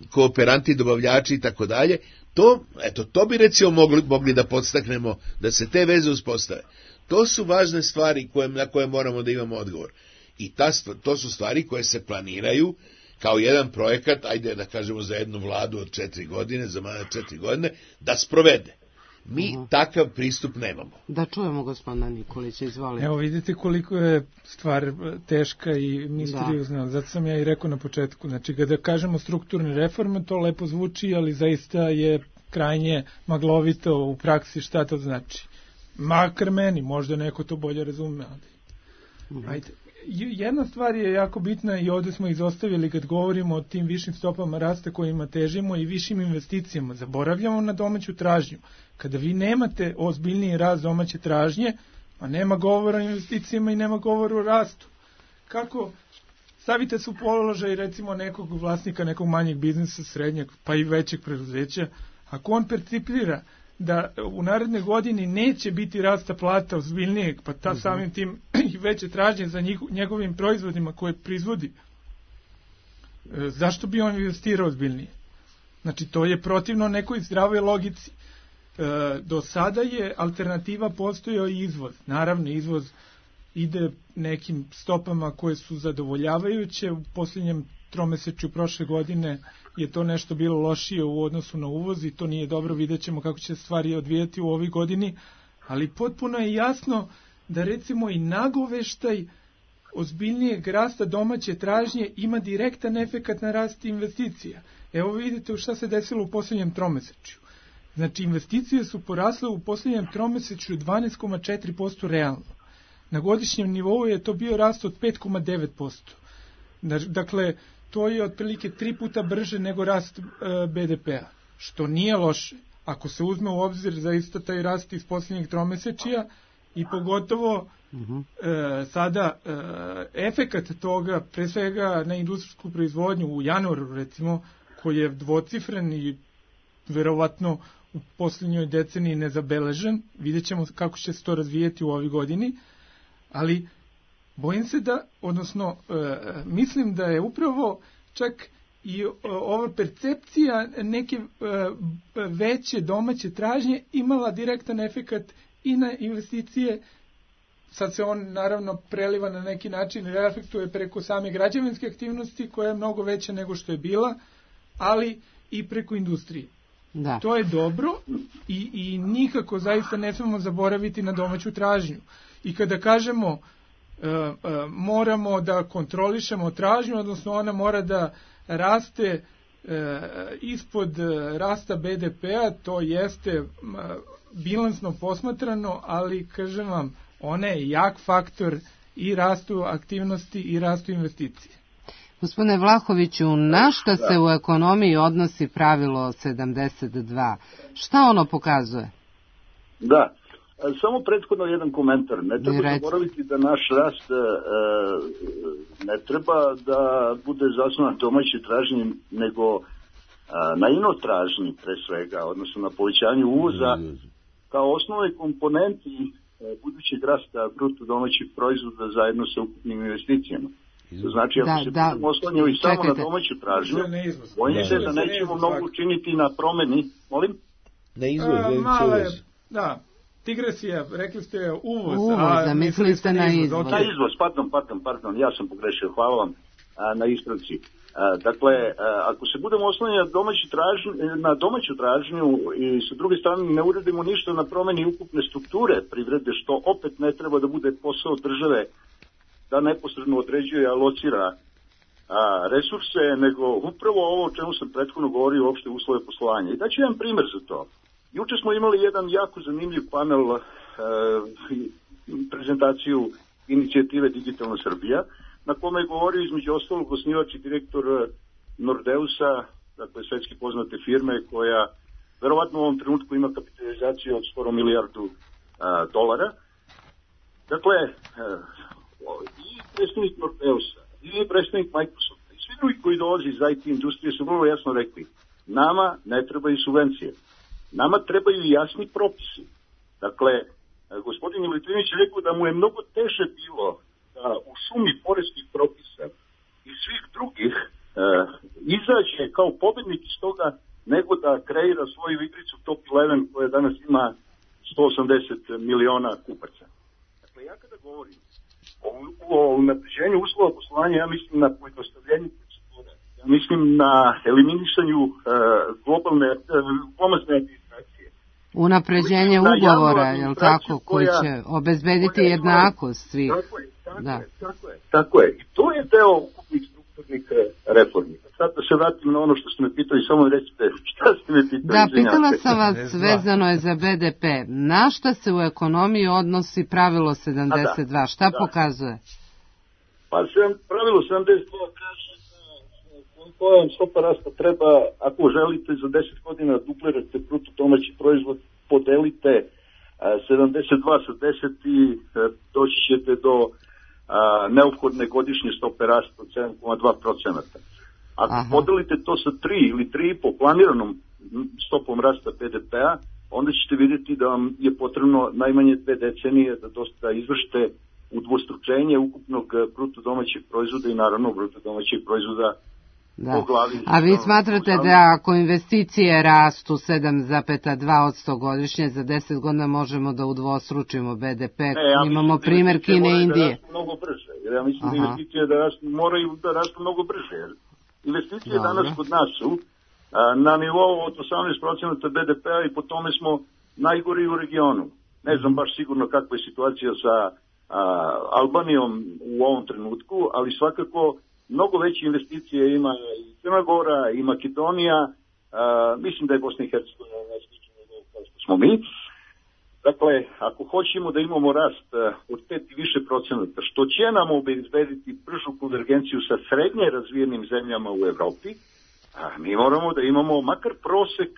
kooperanti, dobavljači i tako dalje. To, eto, to bi recimo mogli, mogli da podstaknemo, da se te veze uspostave. To su važne stvari koje, na koje moramo da imamo odgovor. I ta, to su stvari koje se planiraju kao jedan projekat, ajde da kažemo za jednu vladu od četiri godine, za manje četiri godine, da sprovede. Mi uh-huh. takav pristup nemamo. Da čujemo gospodina Nikolića, izvolite. Evo vidite koliko je stvar teška i misteriozna. Da. Zato sam ja i rekao na početku. Znači, kada kažemo strukturne reforme, to lepo zvuči, ali zaista je krajnje maglovito u praksi šta to znači. Makar meni, možda neko to bolje razume. Ali. Uh-huh. Ajde. Jedna stvar je jako bitna i ovde smo izostavili kad govorimo o tim višim stopama rasta kojima težimo i višim investicijama. Zaboravljamo na domaću tražnju. Kada vi nemate ozbiljniji rast domaće tražnje, pa nema govora o investicijama i nema govora o rastu. Kako stavite se u položaj recimo nekog vlasnika nekog manjeg biznisa, srednjeg pa i većeg preduzeća, ako on percipira da u naredne godini neće biti rasta plata ozbiljnijeg, pa ta samim tim i veće tražnje za njih, njegovim proizvodima koje proizvodi, e, zašto bi on investirao ozbiljnije? Znači, to je protivno nekoj zdravoj logici. E, do sada je alternativa postojao i izvoz. Naravno, izvoz ide nekim stopama koje su zadovoljavajuće. U posljednjem tromesečju prošle godine je to nešto bilo lošije u odnosu na uvoz i to nije dobro, vidjet ćemo kako će stvari odvijati u ovoj godini, ali potpuno je jasno da recimo i nagoveštaj ozbiljnijeg rasta domaće tražnje ima direktan efekat na rast investicija. Evo vidite šta se desilo u posljednjem tromesečju. Znači, investicije su porasle u posljednjem tromesečju dvanaest zarez četiri posto realno. Na godišnjem nivou je to bio rast od pet zarez devet posto. Dakle, to je otprilike tri puta brže nego rast e, be de pe a, što nije loše. Ako se uzme u obzir zaista taj rast iz posljednjeg tromesečija i pogotovo uh-huh. e, sada e, efekat toga, pre svega na industrijsku proizvodnju u januaru recimo, koji je dvocifren i verovatno u posljednjoj deceniji nezabeležen, vidjet ćemo kako će se to razvijeti u ovoj godini, ali bojim se da, odnosno mislim da je upravo čak i ova percepcija neke veće domaće tražnje imala direktan efekat i na investicije. Sad se on naravno preliva na neki način, reflektuje preko same građevinske aktivnosti koja je mnogo veća nego što je bila, ali i preko industrije. Da. To je dobro i, i nikako zaista ne smemo zaboraviti na domaću tražnju. I kada kažemo uh, uh, moramo da kontrolišemo tražnju, odnosno ona mora da raste uh, ispod uh, rasta be de pe-a, to jeste uh, bilansno posmatrano, ali kažem vam, ona je jak faktor i rastu aktivnosti i rastu investicije. Gospodine Vlahoviću, na šta se u ekonomiji odnosi pravilo sedamdeset dva? Šta ono pokazuje? Da, samo prethodno jedan komentar. Ne treba zaboraviti da naš rast e, ne treba da bude zasnovan domaćoj tražnji, nego e, na inotražnji pre svega, odnosno na povećanju uvoza kao osnovnoj komponenti budućeg rasta bruto domaćeg proizvoda zajedno sa ukupnim investicijama. Znači, ako da, se da, budemo oslanjali samo na domaću tražnju, bojim se da nećemo mnogo učiniti na promeni. Molim? Na izvoz, A, male, da, digresija, rekli ste uvoz. Uvoz, a mislili ste na izvoz. Na izvoz, pardon, pardon, pardon, ja sam pogrešio, hvala vam a, na ispravci. A, dakle, a, ako se budemo oslanjali na domaću tražnju, na domaću tražnju i sa druge strane ne uradimo ništa na promeni ukupne strukture privrede, što opet ne treba da bude posao države da neposredno određuje i alocira a, resurse, nego upravo ovo o čemu sam prethodno govorio, uopšte uslove poslovanja. I daću jedan primer za to. Juče smo imali jedan jako zanimljiv panel, a, prezentaciju inicijative Digitalna Srbija, na kome je govorio između ostalog osnivač i direktor Nordeusa, dakle svetski poznate firme, koja verovatno u ovom trenutku ima kapitalizaciju od skoro milijardu a, dolara. Dakle, a, i predstavnik Nordeusa, i predstavnik Microsofta, i svi drugi koji dolazi iz i te industrije su vrlo jasno rekli, nama ne trebaju subvencije, nama trebaju jasni propisi. Dakle, gospodin Militrinić je rekao da mu je mnogo teže bilo da u šumi poreskih propisa i svih drugih e, izađe kao pobednik iz toga, nego da kreira svoju igricu Top jedanaest koja danas ima sto osamdeset miliona kupaca. Dakle, ja kada govorim o unapređenju uslova poslovanja, ja mislim na pojednostavljenju procedura, ja mislim na eliminisanju uh, globalne, uh, glomazne administracije. Unapređenje ugovora, je li tako, koji će obezbediti jednakost svih. Tako je, tako, da. je, tako je, tako je. I to je deo ukupnih strukturnih reformi. Sad da se vratim na ono što ste me pitali, samo recite šta ste me pitali. Da, pitala sam vas, vezano je za be de pe. Na šta se u ekonomiji odnosi pravilo sedamdeset dva? Šta da. pokazuje? Pa pravilo sedamdeset dva kaže koja vam stopa rasta treba, ako želite za deset godina duplirate bruto domaći proizvod, podelite sedamdeset dva sa deset i doći ćete do a, neophodne godišnje stope rasta od sedam zarez dva procenta. Ako Aha. podelite to sa tri ili tri i po planiranom stopom rasta be de pe-a, onda ćete vidjeti da vam je potrebno najmanje dve decenije da dosta izvršite udvostručenje ukupnog bruto domaćeg proizvoda i naravno bruto domaćeg proizvoda da. po glavi. A vi smatrate da ako investicije rastu sedam zarez dva posto godišnje, za deset godina možemo da udvostručimo be de pe? Ne, ja imamo primer Kine i Indije. Da rastu mnogo brže, jer ja mislim Aha. da investicije da rastu, moraju da rastu mnogo brže, jer investicije Dobre. danas kod nas su a, na nivou od osamnaest procenta be de pe-a i po tome smo najgori u regionu. Ne znam baš sigurno kakva je situacija sa a, Albanijom u ovom trenutku, ali svakako mnogo veće investicije ima i Crna Gora i Makedonija, a, mislim da je Bosna i Hercegovina na sličnom nivou kao što smo mi. Dakle, ako hoćemo da imamo rast od pet i više procenata, što će nam obezbediti bržu konvergenciju sa srednje razvijenim zemljama u Evropi, mi moramo da imamo makar prosek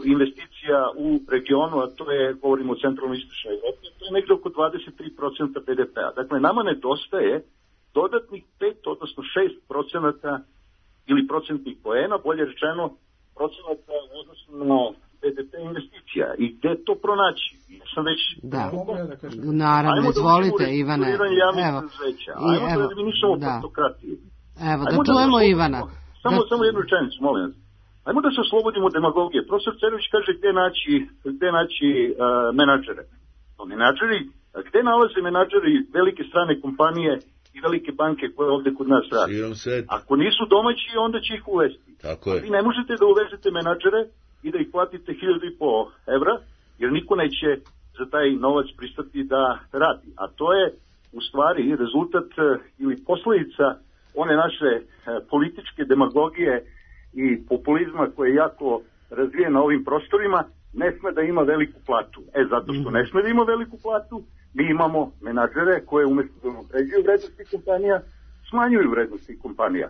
investicija u regionu, a to je, govorimo o centralno-istočnoj Evropi, to je nekde oko dvadeset tri procenta be de pe-a. Dakle, nama nedostaje dodatnih pet, odnosno šest procenata ili procentnih poena, bolje rečeno procenata odnosno be de pe investicija. I gde to pronaći? Ja sam sam već... Da, da naravno, izvolite, Ivane. Ajmo da javnih evo, preduzeća, i, ajmo evo, da eliminišemo da. partokratiju. Evo, Ajmo da čujemo da Ivana. Samo, da... samo jednu rečenicu, molim vas. Ajmo da se oslobodimo demagogije. Profesor Cerović kaže gde naći, gde naći uh, menadžere. No, menadžeri, gde nalaze menadžeri velike strane kompanije i velike banke koje ovde kod nas radi? Ako nisu domaći, onda će ih uvesti. Tako je. Vi ne možete da uvezete menadžere i da ih platite hiljadu i po evra, jer niko neće za taj novac pristati da radi. A to je u stvari rezultat ili posledica one naše političke demagogije i populizma koji je jako razvijen na ovim prostorima. Ne sme da ima veliku platu. E, zato što ne sme da ima veliku platu, mi imamo menadžere koje umjesto da unapređuju vrednosti kompanija, smanjuju vrednosti kompanija.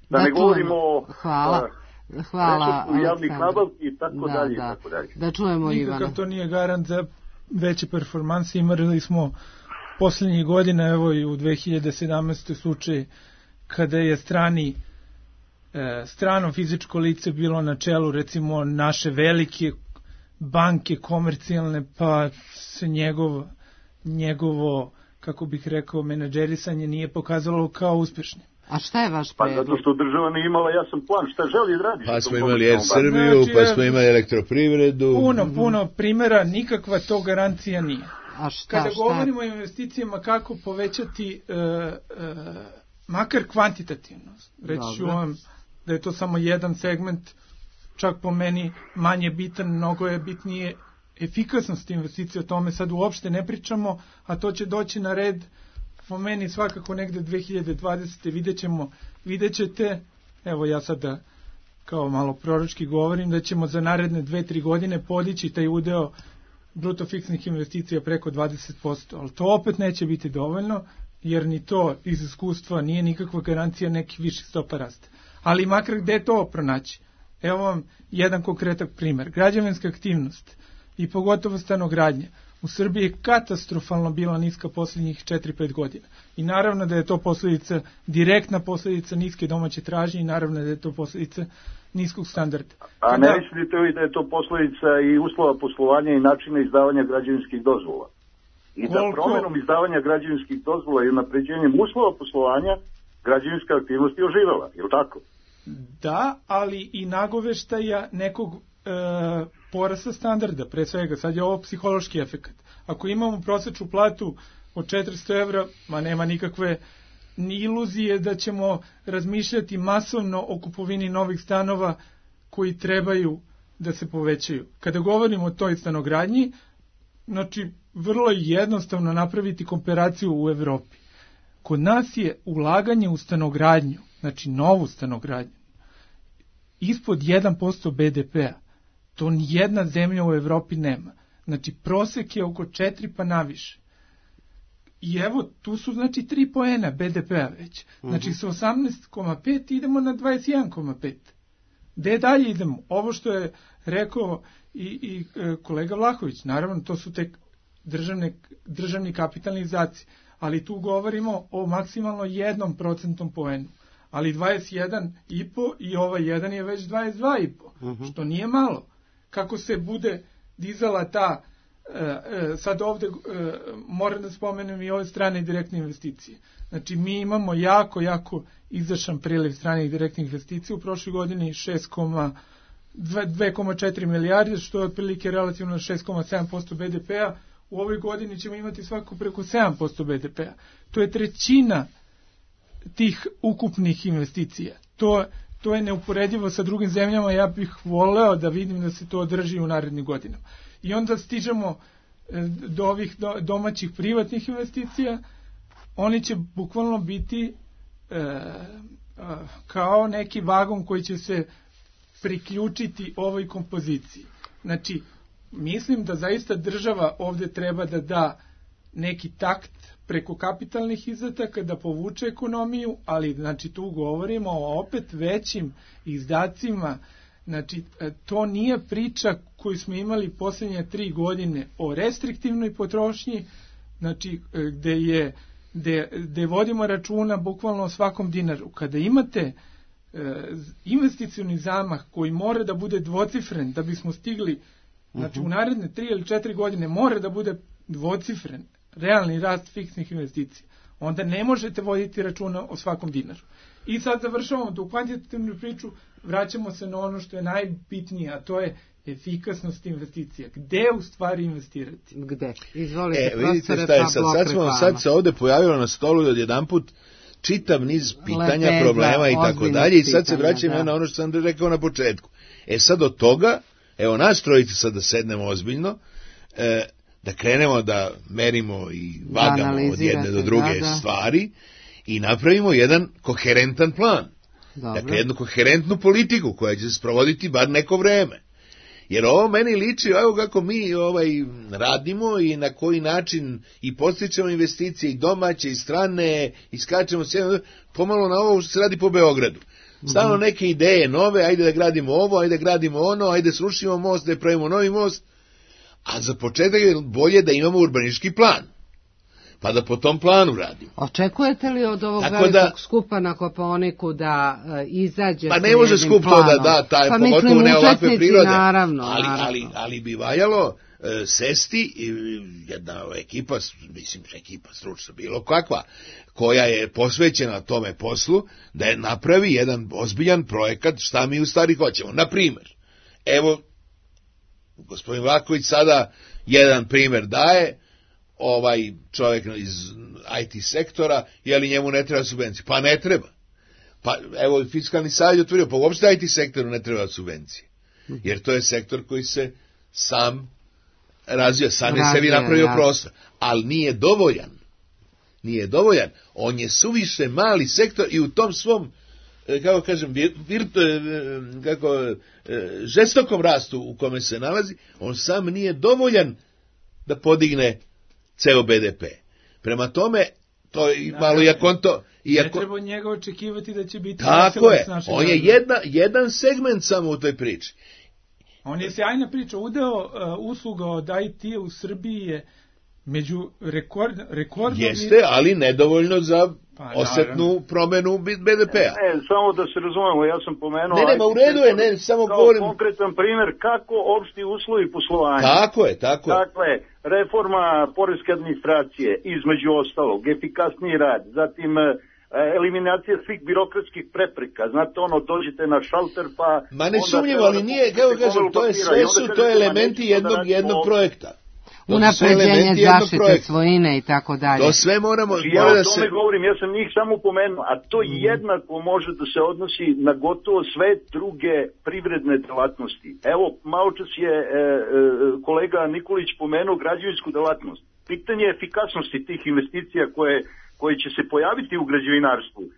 Da, da ne govorimo o Hvala. Hvala, javnih nabavki i tako da, dalje da. i tako dalje. Da čujemo Ivana. Nikakav to nije garant za veće performanse. Imali smo posljednjih godina, evo i u dve hiljade sedamnaestoj slučaj kada je strani e, strano fizičko lice bilo na čelu recimo naše velike banke komercijalne, pa se njegov, njegovo, kako bih rekao, menadžerisanje nije pokazalo kao uspješnim. A šta je vaš predlog? Pa zato što država nije imala jasan plan, šta želi da radi? Pa smo imali Er Srbiju, znači, pa smo imali elektroprivredu. Puno, puno primjera, nikakva to garancija nije. A šta, Kada šta? govorimo o investicijama, kako povećati uh, uh, makar kvantitativno, reći ću vam da je to samo jedan segment, čak po meni manje bitan, mnogo je bitnije efikasnost investicije, o tome sad uopšte ne pričamo, a to će doći na red po meni svakako negde dve hiljade dvadesete vidjet ćemo, vidjet ćete, evo ja sada kao malo proročki govorim, da ćemo za naredne dve tri godine podići taj udeo bruto fiksnih investicija preko dvadeset posto, ali to opet neće biti dovoljno, jer ni to iz iskustva nije nikakva garancija nekih viših stopa rasta. Ali makar gde to pronaći? Evo vam jedan konkretan primjer. Građevinska aktivnost i pogotovo stanogradnja u Srbiji je katastrofalno bila niska posljednjih četiri pet godina. I naravno da je to posljedica, direktna posljedica niske domaće tražnje i naravno da je to posljedica niskog standarda. A Kada... ne mislite li da je to posljedica i uslova poslovanja i načina izdavanja građevinskih dozvola? I da promjenom izdavanja građevinskih dozvola i unapređenjem uslova poslovanja građevinska aktivnost je oživela, je li tako? Da, ali i nagoveštaja nekog e, porasta standarda, pre svega, sad je ovo psihološki efekt. Ako imamo prosječnu platu od četiristo evra, ma nema nikakve ni iluzije da ćemo razmišljati masovno o kupovini novih stanova koji trebaju da se povećaju. Kada govorimo o toj stanogradnji, znači vrlo je jednostavno napraviti komparaciju u Evropi. Kod nas je ulaganje u stanogradnju, znači novu stanogradnju, ispod jedan posto be de pea. To nijedna zemlja u Evropi nema. Znači prosek je oko četiri pa naviše. I evo, tu su znači tri poena be de pea već. Znači sa osamnaest zarez pet idemo na dvadeset jedan zarez pet. Gde dalje idemo? Ovo što je rekao i, i kolega Vlahović, naravno to su te državne, državni kapitalni izdaci, ali tu govorimo o maksimalno jednom procentnom poenu. Ali dvadeset jedan i po i ovaj jedan je već dvadeset dva i po, uh-huh. što nije malo. Kako se bude dizala ta, e, e, sad ovde e, moram da spomenem i ove strane direktne investicije. Znači mi imamo jako, jako izašan priliv stranih direktnih investicija u prošloj godini šest zarez četiri milijarde, što je otprilike relativno šest zarez sedam posto be de pea. U ovoj godini ćemo imati svako preko sedam posto be de pea. To je trećina tih ukupnih investicija. To, to je neuporedivo sa drugim zemljama, ja bih voleo da vidim da se to održi u narednim godinama. I onda stižemo do ovih domaćih privatnih investicija, oni će bukvalno biti e, kao neki vagon koji će se priključiti ovoj kompoziciji. Znači, mislim da zaista država ovdje treba da da neki takt preko kapitalnih izdataka da povuče ekonomiju, ali znači tu govorimo o opet većim izdacima. Znači to nije priča koju smo imali posljednje tri godine o restriktivnoj potrošnji, znači gde je gde, gde vodimo računa bukvalno o svakom dinaru. Kada imate e, investicioni zamah koji mora da bude dvocifren da bismo stigli Znači, u naredne tri ili četiri godine mora da bude dvocifren realni rast fiksnih investicija. Onda ne možete voditi računa o svakom dinaru. I sad završavamo tu kvantitativnu priču, vraćamo se na ono što je najbitnije, a to je efikasnost investicija. Gde u stvari investirati? Gde? Izvolite, e, vidite šta je sad, sad, smo, sad se ovde pojavilo na stolu od jedan put čitav niz pitanja, Lepeza, problema i tako dalje i sad se vraćam da. na ono što sam rekao na početku. E sad od toga, evo nas trojice sad da sednemo ozbiljno, e, da krenemo da merimo i vagamo da od jedne do druge da, da. stvari i napravimo jedan koherentan plan. Dobro. Dakle, jednu koherentnu politiku koja će se sprovoditi bar neko vreme. Jer ovo meni liči, evo kako mi ovaj, radimo i na koji način i postičemo investicije i domaće i strane i skačemo sve, pomalo na ovo što se radi po Beogradu. Stalno neke ideje nove, ajde da gradimo ovo, ajde da gradimo ono, ajde srušimo most, da pravimo novi most, a za početak je bolje da imamo urbanistički plan. Pa da po tom planu radimo. Očekujete li od ovog velikog da, skupa na Kopaoniku da uh, izađe pa ne može skup to da da, taj, pa pogotovo ne ovakve prirode, naravno, ali, naravno. ali, ali bi valjalo uh, sesti i jedna ekipa, mislim ekipa stručna bilo kakva, koja je posvećena tome poslu, da je napravi jedan ozbiljan projekat šta mi u stvari hoćemo. Na primer, evo, gospodin Vlaković sada jedan primer daje, ovaj čovjek iz I T sektora, je li njemu ne treba subvencije? Pa ne treba. Pa evo fiskalni savjet otvorio, pa uopšte I T sektoru ne treba subvencije. Jer to je sektor koji se sam razvija, sam je sebi napravio ja. prostor. Ali nije dovoljan. Nije dovoljan. On je suviše mali sektor i u tom svom, kako kažem, virtu, kako, žestokom rastu u kome se nalazi, on sam nije dovoljan da podigne ceo B D P. Prema tome, to je da, malo iako on to... Iako, ne treba njega očekivati da će biti... Tako je, on je jedna, jedan segment samo u toj priči. On je sjajna priča. Udeo uh, usluga od I T u Srbiji je među rekord, rekordom... Jeste, ali nedovoljno za pa, osetnu promenu B D P-a. Ne, samo da se razumemo, ja sam pomenuo... Ne, nema, u redu je, ne, samo kao govorim... konkretan primjer kako opšti uslovi poslovanja. Tako je, tako je. Dakle, reforma poreske administracije, između ostalog, efikasniji rad, zatim eliminacija svih birokratskih prepreka. Znate, ono, dođete na šalter, pa... Ma ne sumnjivo, ali nije, kako kažem, to je sve su, to je elementi jednog, jednog projekta. Unapređenje zaštite svojine i tako dalje. To sve moramo... Ja o tome se... govorim, ja sam njih samo pomenuo, a to mm. jednako može da se odnosi na gotovo sve druge privredne delatnosti. Evo, malo čas je e, e, kolega Nikolić pomenuo građevinsku delatnost. Pitanje efikasnosti tih investicija koje, koje će se pojaviti u građevinarstvu. E,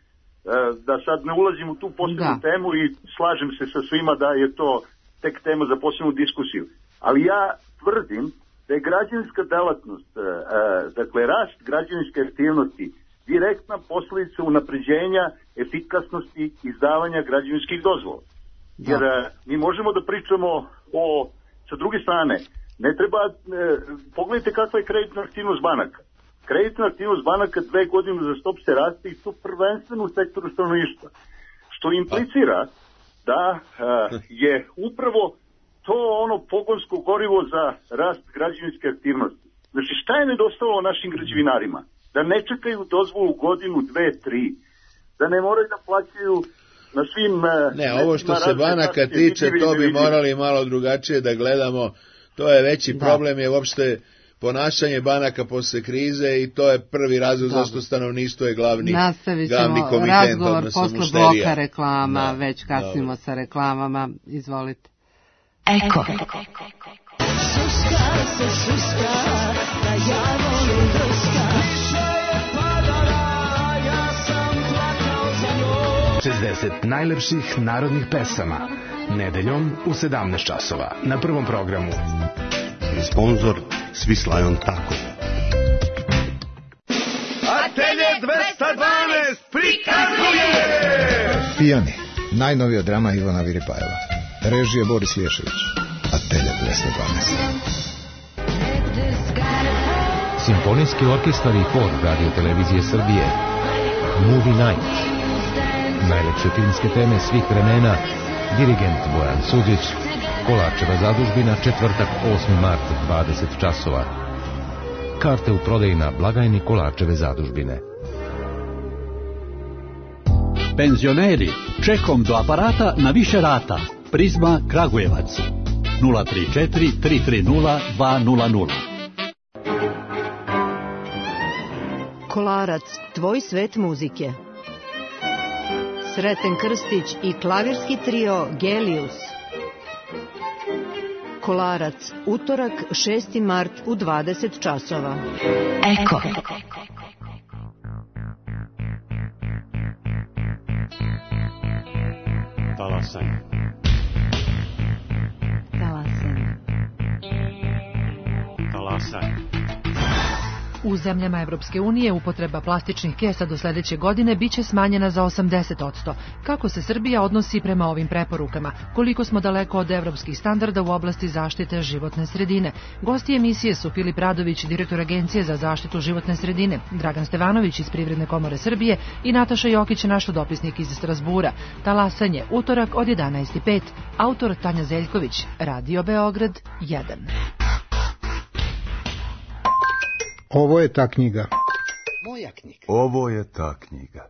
da sad ne ulazim u tu posebnu da. temu i slažem se sa svima da je to tek tema za posebnu diskusiju. Ali ja tvrdim da je građevinska delatnost, e, dakle rast građevinske aktivnosti, direktna posljedica unapređenja efikasnosti izdavanja građevinskih dozvola. Da. Jer e, mi možemo da pričamo o, sa druge strane, ne treba, e, pogledajte kakva je kreditna aktivnost banaka. Kreditna aktivnost banaka dve godine za stop se raste i to prvenstveno u sektoru stanovništva. Što implicira da e, je upravo to ono pogonsko gorivo za rast građevinske aktivnosti. Znači, šta je nedostalo našim građevinarima? Da ne čekaju dozvolu godinu, dve, tri. Da ne moraju da plaćaju na svim... Ne, ovo što se banaka tiče, to bi morali malo drugačije da gledamo. To je veći da. problem, je uopšte ponašanje banaka posle krize i to je prvi razlog zašto stanovništvo je glavni, glavni komitent. Razgovor posle bloka reklama, da, već kasnimo sa reklamama. Izvolite. Eko. Šuška se šuška, da ja volim drska. Kiša je padala, ja sam plakao za njom. šezdeset najlepših narodnih pesama. Nedeljom u sedamnaest časova. Na prvom programu. Sponzor Swiss Lion Taco. Atelje dvesta dvanaest prikazuje! Pijani. Najnovija drama Ivana Viripajeva. Režija Boris Lješević. Atelje dvesta dvanaest. Simfonijski orkestar i hor Radio Televizije Srbije. Movie Night. Najlepše filmske teme svih vremena. Dirigent Bojan Suđić. Kolarčeva zadužbina, četvrtak osmi mart, dvadeset časova. Karte u prodaji na blagajni Kolarčeve zadužbine. Penzioneri, čekom do aparata na više rata. Prizma Kragujevac. nula tri četiri tri tri nula dva nula nula. Kolarac, tvoj svet muzike. Sreten Krstić i klavirski trio Gelius. Kolarac, utorak šesti mart u dvadeset časova. Eko. Talasanje. Talasanje. Talasanje. U zemljama Evropske unije upotreba plastičnih kesa do sledeće godine biće smanjena za osamdeset posto. Kako se Srbija odnosi prema ovim preporukama? Koliko smo daleko od evropskih standarda u oblasti zaštite životne sredine? Gosti emisije su Filip Radović, direktor Agencije za zaštitu životne sredine, Dragan Stevanović iz Privredne komore Srbije i Nataša Jokić, naš dopisnik iz Strasbura. Talasanje, utorak od jedanaest i pet. Autor Tanja Zeljković, Radio Beograd jedan. Ovo je ta knjiga. Moja knjiga. Ovo je ta knjiga.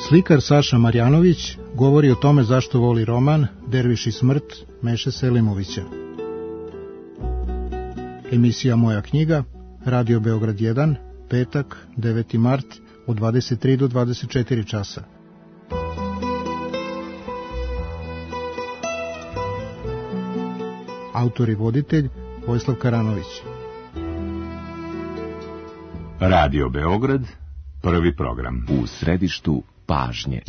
Slikar Saša Marjanović govori o tome zašto voli roman Derviš i smrt Meše Selimovića. Emisija Moja knjiga, Radio Beograd jedan, petak, deveti mart, od dvadeset tri do dvadeset četiri časa. Autor i voditelj Vojislav Karanović. Radio Beograd, prvi program. U središtu pažnje.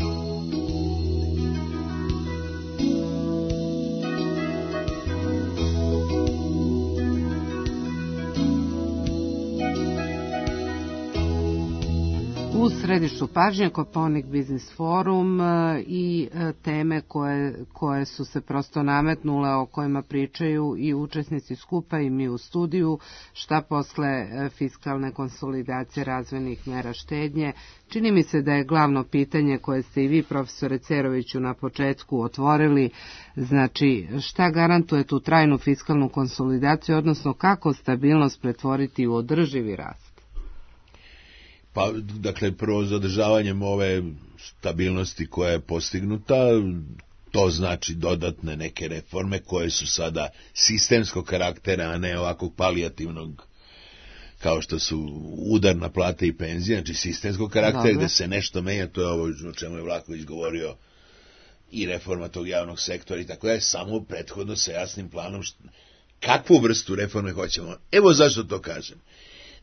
U središtu pažnje Kopaonik Biznis Forum i teme koje, koje su se prosto nametnule, o kojima pričaju i učesnici skupa i mi u studiju, šta posle fiskalne konsolidacije razvojnih mera štednje. Čini mi se da je glavno pitanje koje ste i vi, profesore Ceroviću, na početku otvorili, znači šta garantuje tu trajnu fiskalnu konsolidaciju, odnosno kako stabilnost pretvoriti u održivi rast? Pa, dakle, prvo zadržavanjem ove stabilnosti koja je postignuta, to znači dodatne neke reforme koje su sada sistemskog karaktera, a ne ovakvog palijativnog, kao što su udar na plate i penzije, znači sistemskog karaktera. Dobre. Gde se nešto menja, to je ovo o čemu je Vlahović govorio, i reforma tog javnog sektora i tako je, samo prethodno sa jasnim planom šta, kakvu vrstu reforme hoćemo. Evo zašto to kažem.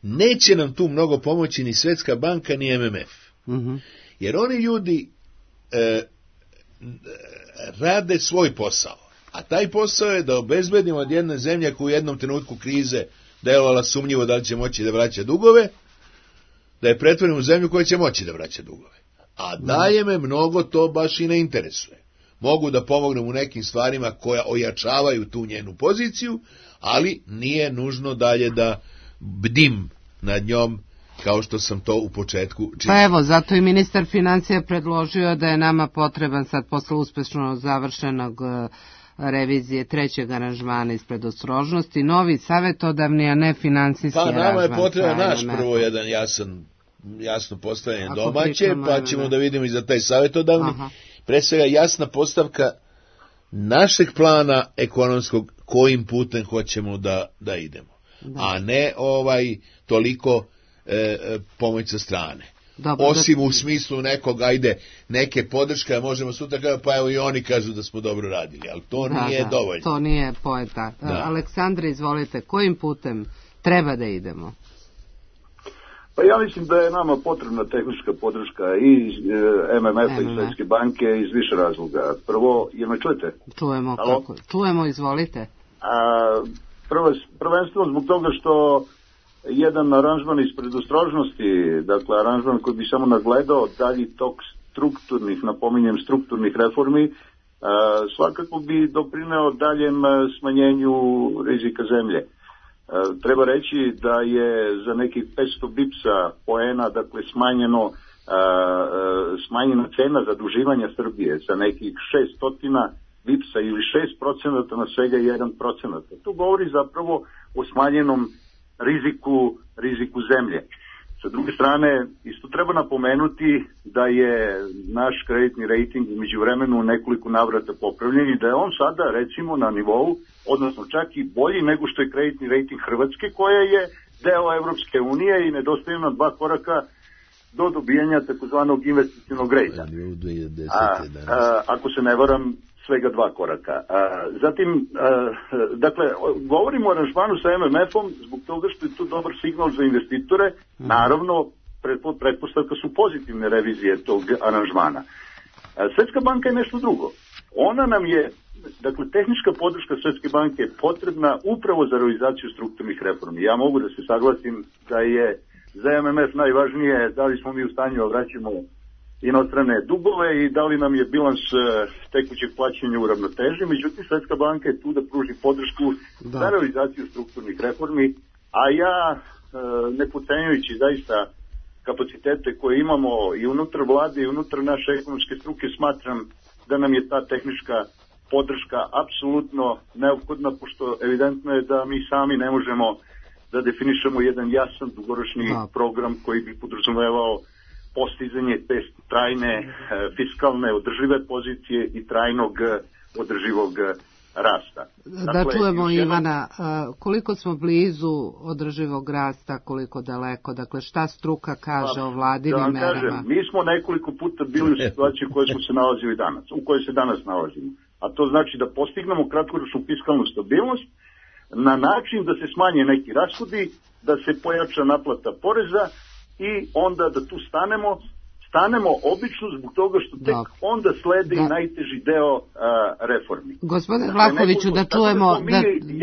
Neće nam tu mnogo pomoći ni Svetska banka, ni M M F. Mm-hmm. Jer oni ljudi e, rade svoj posao. A taj posao je da obezbedimo od jedne zemlje koja u jednom trenutku krize delovala sumnjivo da li će moći da vraća dugove, da je pretvorimo u zemlju koja će moći da vraća dugove. A daje me mnogo to baš i ne interesuje. Mogu da pomognem u nekim stvarima koja ojačavaju tu njenu poziciju, ali nije nužno dalje da bdim nad njom kao što sam to u početku činio. Pa evo, zato i ministar financija predložio da je nama potreban sad posle uspešno završenog revizije trećeg aranžmana iz predostrožnosti, novi savetodavni, a ne finansijski aranžman. Pa nama je potreban naš prvo jedan jasan, jasno postavljanje domaće, pa ćemo da vidimo i za taj savetodavni. Aha. Pre svega jasna postavka našeg plana ekonomskog kojim putem hoćemo da, da idemo. Da. A ne ovaj toliko e, pomoć sa strane. Dobro, osim da... u smislu nekog, ajde, neke podrške, možemo sutra kada, pa evo i oni kažu da smo dobro radili, ali to da, nije da, dovoljno. To nije poeta. Da. Aleksandre, izvolite, kojim putem treba da idemo? Pa ja mislim da je nama potrebna tehnička podrška i M M F-a i Svetske banke iz više razloga. Prvo, jel me čujete? Čujemo, kako? Čujemo, izvolite. A, prvo, prvenstveno zbog toga što jedan aranžman iz predostrožnosti, dakle aranžman koji bi samo nagledao dalji tok strukturnih, napominjem strukturnih reformi, a, svakako bi doprineo daljem smanjenju rizika zemlje. Treba reći da je za nekih petsto bipsa poena, dakle, smanjeno smanjena cena zaduživanja Srbije sa nekih šesto bipsa ili šest procenata na svega jedan procenat. To govori zapravo o smanjenom riziku, riziku zemlje. Sa druge strane, isto treba napomenuti da je naš kreditni rating u međuvremenu nekoliko navrata popravljen i da je on sada recimo na nivou, odnosno čak i bolji nego što je kreditni rating Hrvatske, koja je deo Evropske unije i nedostaju nam dva koraka do dobijanja takozvanog investicionog rejta. A, a, ako se ne varam, svega dva koraka. A, zatim, a, dakle, govorimo o aranžmanu sa em em efom zbog toga što je to dobar signal za investitore. Naravno, pretpostavka su pozitivne revizije tog aranžmana. A, Svetska banka je nešto drugo. Ona nam je, dakle, tehnička podrška Svetske banke je potrebna upravo za realizaciju strukturnih reformi. Ja mogu da se saglasim da je za em em ef najvažnije da li smo mi u stanju da vraćamo inostrane dugove i da li nam je bilans tekućeg plaćanja u ravnoteži. Međutim, Svetska banka je tu da pruži podršku da. za realizaciju strukturnih reformi, a ja, ne potcenjujući zaista kapacitete koje imamo i unutar vlade i unutar naše ekonomske struke, smatram da nam je ta tehnička podrška apsolutno neophodna, pošto evidentno je da mi sami ne možemo da definišemo jedan jasan dugoročni da. program koji bi podrazumevao postizanje te trajne e, fiskalne održive pozicije i trajnog održivog rasta. Da dakle, čujemo jedno... Ivana, koliko smo blizu održivog rasta, koliko daleko, dakle šta struka kaže pa, o vladinim da merama? Kažem, mi smo nekoliko puta bili u situaciji u kojoj smo se nalazili danas, u kojoj se danas nalazimo. A to znači da postignemo kratkoročnu fiskalnu stabilnost na način da se smanje neki rashodi, da se pojača naplata poreza i onda da tu stanemo, stanemo obično zbog toga što tek da. onda slede da. i najteži deo a, reformi. Gospodine Vlahoviću, da čujemo... Da, mi,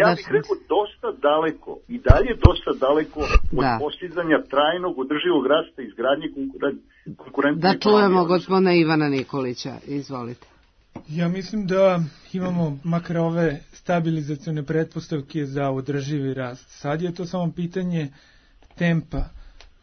ja bih da... rekao dosta daleko i dalje dosta daleko od da. postizanja trajnog održivog rasta i izgradnje konkurentne. Da čujemo gospodina Ivana Nikolića, izvolite. Ja mislim da imamo makar ove stabilizacione pretpostavke za održivi rast. Sad je to samo pitanje tempa.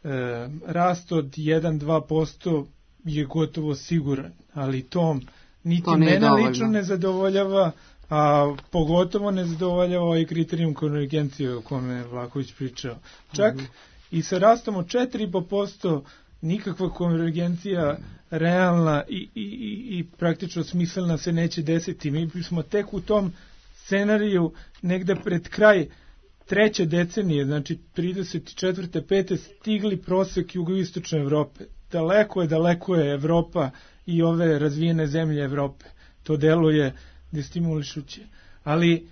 E, rast od jedan do dva posto je gotovo siguran, ali tom niti to mene lično ne zadovoljava, a pogotovo ne zadovoljava ovaj kriterijum konvergencije o kome je Vlahović pričao. Čak mm-hmm. i sa rastom od četiri i po posto nikakva konvergencija realna i, i, i, i praktično smislena se neće desiti. Mi smo tek u tom scenariju negde pred kraj treće decenije, znači trideset četvrte pete stigli prosek jugoistočne Evrope. Daleko je, daleko je Evropa i ove razvijene zemlje Evrope. To deluje destimulišuće. Ali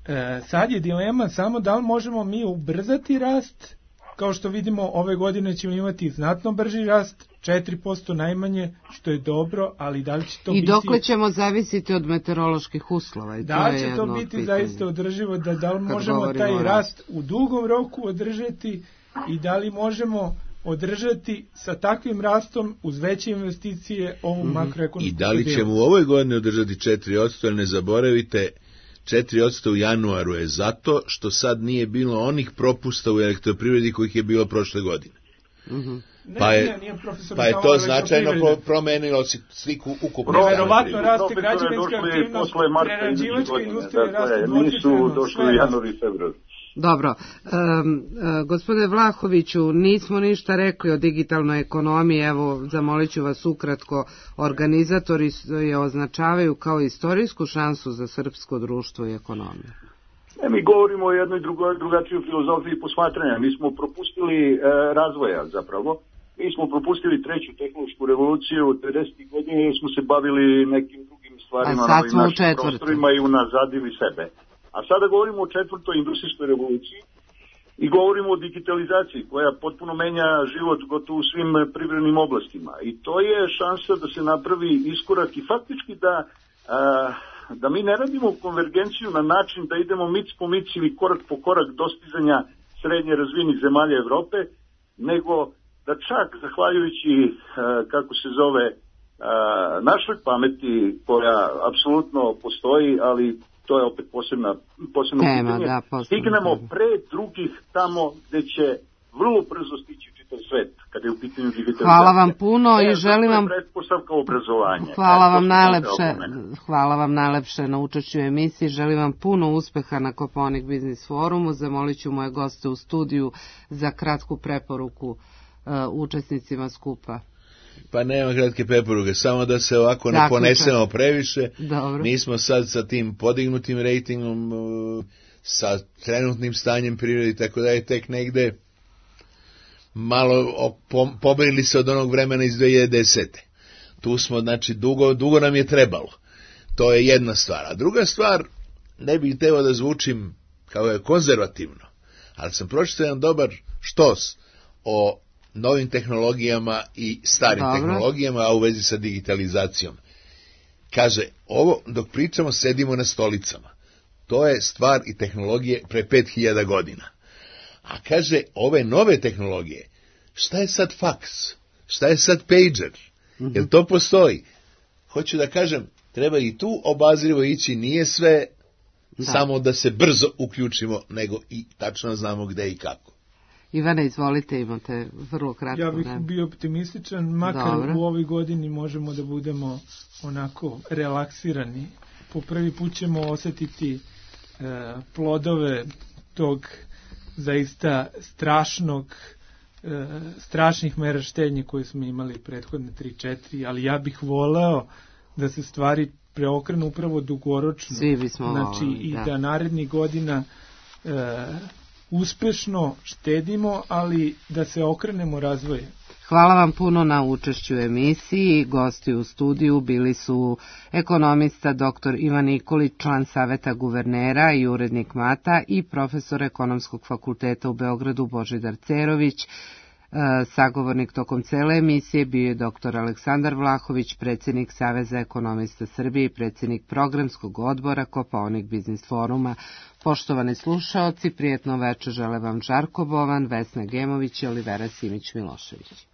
e, sad je dilema samo da li možemo mi ubrzati rast. Kao što vidimo, ove godine ćemo imati znatno brži rast, četiri posto najmanje, što je dobro, ali da li će to I biti... I dokle ćemo zavisiti od meteoroloških uslova? I da to će je to biti pitanje. Zaista održivo, da, da li možemo taj rast u dugom roku održati i da li možemo održati sa takvim rastom uz veće investicije ovu mm-hmm. makroekonomsku I da li ćemo u ovoj godini održati četiri posto, ali ne zaboravite, četiri posto u januaru je zato što sad nije bilo onih propusta u elektroprivredi kojih je bilo prošle godine. Mm-hmm. Pa je, ne, nije pa je to značajno pro, promenilo sliku ukupno. Verovatno raste građevinska aktivnost, prerađivačka industrija raste dvocifreno. Nisu došli u januar i februar. Dobro, um, uh, gospodine Vlahoviću, nismo ništa rekli o digitalnoj ekonomiji, evo zamolit ću vas ukratko, organizatori je označavaju kao istorijsku šansu za srpsko društvo i ekonomiju. E, mi govorimo o jednoj drugo, drugačijoj filozofiji posmatranja, mi smo propustili e, razvoja zapravo, mi smo propustili treću tehnološku revoluciju u devedesetih godina jer smo se bavili nekim drugim stvarima na ovim našim prostorima i unazadili sebe. A sada govorimo o četvrtoj industrijskoj revoluciji i govorimo o digitalizaciji koja potpuno menja život gotovo u svim privrednim oblastima. I to je šansa da se napravi iskorak i faktički da, a, da mi ne radimo konvergenciju na način da idemo mic po mic ili korak po korak dostizanja srednje razvijenih zemalja Evrope, nego da čak zahvaljujući, a, kako se zove, a, našoj pameti koja apsolutno postoji, ali to je opet posebna, posebno Tema, pitanje, da, stignemo pre drugih tamo gde će vrlo brzo stići čitav svet. kada je u pitanju digitalizacija. Hvala vam puno ne, i želim vam... pretpostavka obrazovanja. Hvala e, vam najlepše, hvala vam najlepše na učešću u emisiji. Želim vam puno uspeha na Kopaonik Biznis forumu. Zamolit ću moje goste u studiju za kratku preporuku uh, učesnicima skupa. Pa nema kratke preporuke, samo da se ovako ne ponesemo previše. Dobro. Mi smo sad sa tim podignutim rejtingom, sa trenutnim stanjem prirode, tako da je tek negde malo pomerili se od onog vremena iz dve hiljade desete. Tu smo, znači, dugo, dugo nam je trebalo. To je jedna stvar. A druga stvar, ne bih hteo da zvučim kao je konzervativno, ali sam pročitao jedan dobar štos o novim tehnologijama i starim Dobro. tehnologijama, a u vezi sa digitalizacijom. Kaže, ovo dok pričamo sedimo na stolicama. To je stvar i tehnologije pre pet hiljada godina. A kaže, ove nove tehnologije, šta je sad faks? Šta je sad pager? Mm-hmm. Jel to postoji? Hoću da kažem, treba i tu obazrivo ići, nije sve da. samo da se brzo uključimo, nego i tačno znamo gde i kako. Ivane, izvolite, imate vrlo kratko. Ja bih ne. bio optimističan, makar Dobro. u ovoj godini možemo da budemo onako relaksirani. Po prvi put ćemo osetiti e, plodove tog zaista strašnog, e, strašnih mera štednje koje smo imali prethodne tri četiri, ali ja bih voleo da se stvari preokrenu upravo dugoročno. Svi bismo znači, voleli, i da. da narednih godina e, uspešno štedimo, ali da se okrenemo razvoju. Hvala vam puno na učešću u emisiji. Gosti u studiju bili su ekonomista doktor Ivan Nikolić, član Saveta guvernera i urednik Mata, i profesor Ekonomskog fakulteta u Beogradu Božidar Cerović. Sagovornik tokom cele emisije bio je doktor Aleksandar Vlahović, predsjednik Saveza ekonomista Srbije i predsjednik programskog odbora Kopaonik Biznis foruma. Poštovani slušaoci, prijetno večer žele vam Žarko Bovan, Vesna Gemović i Olivera Simić Milošević.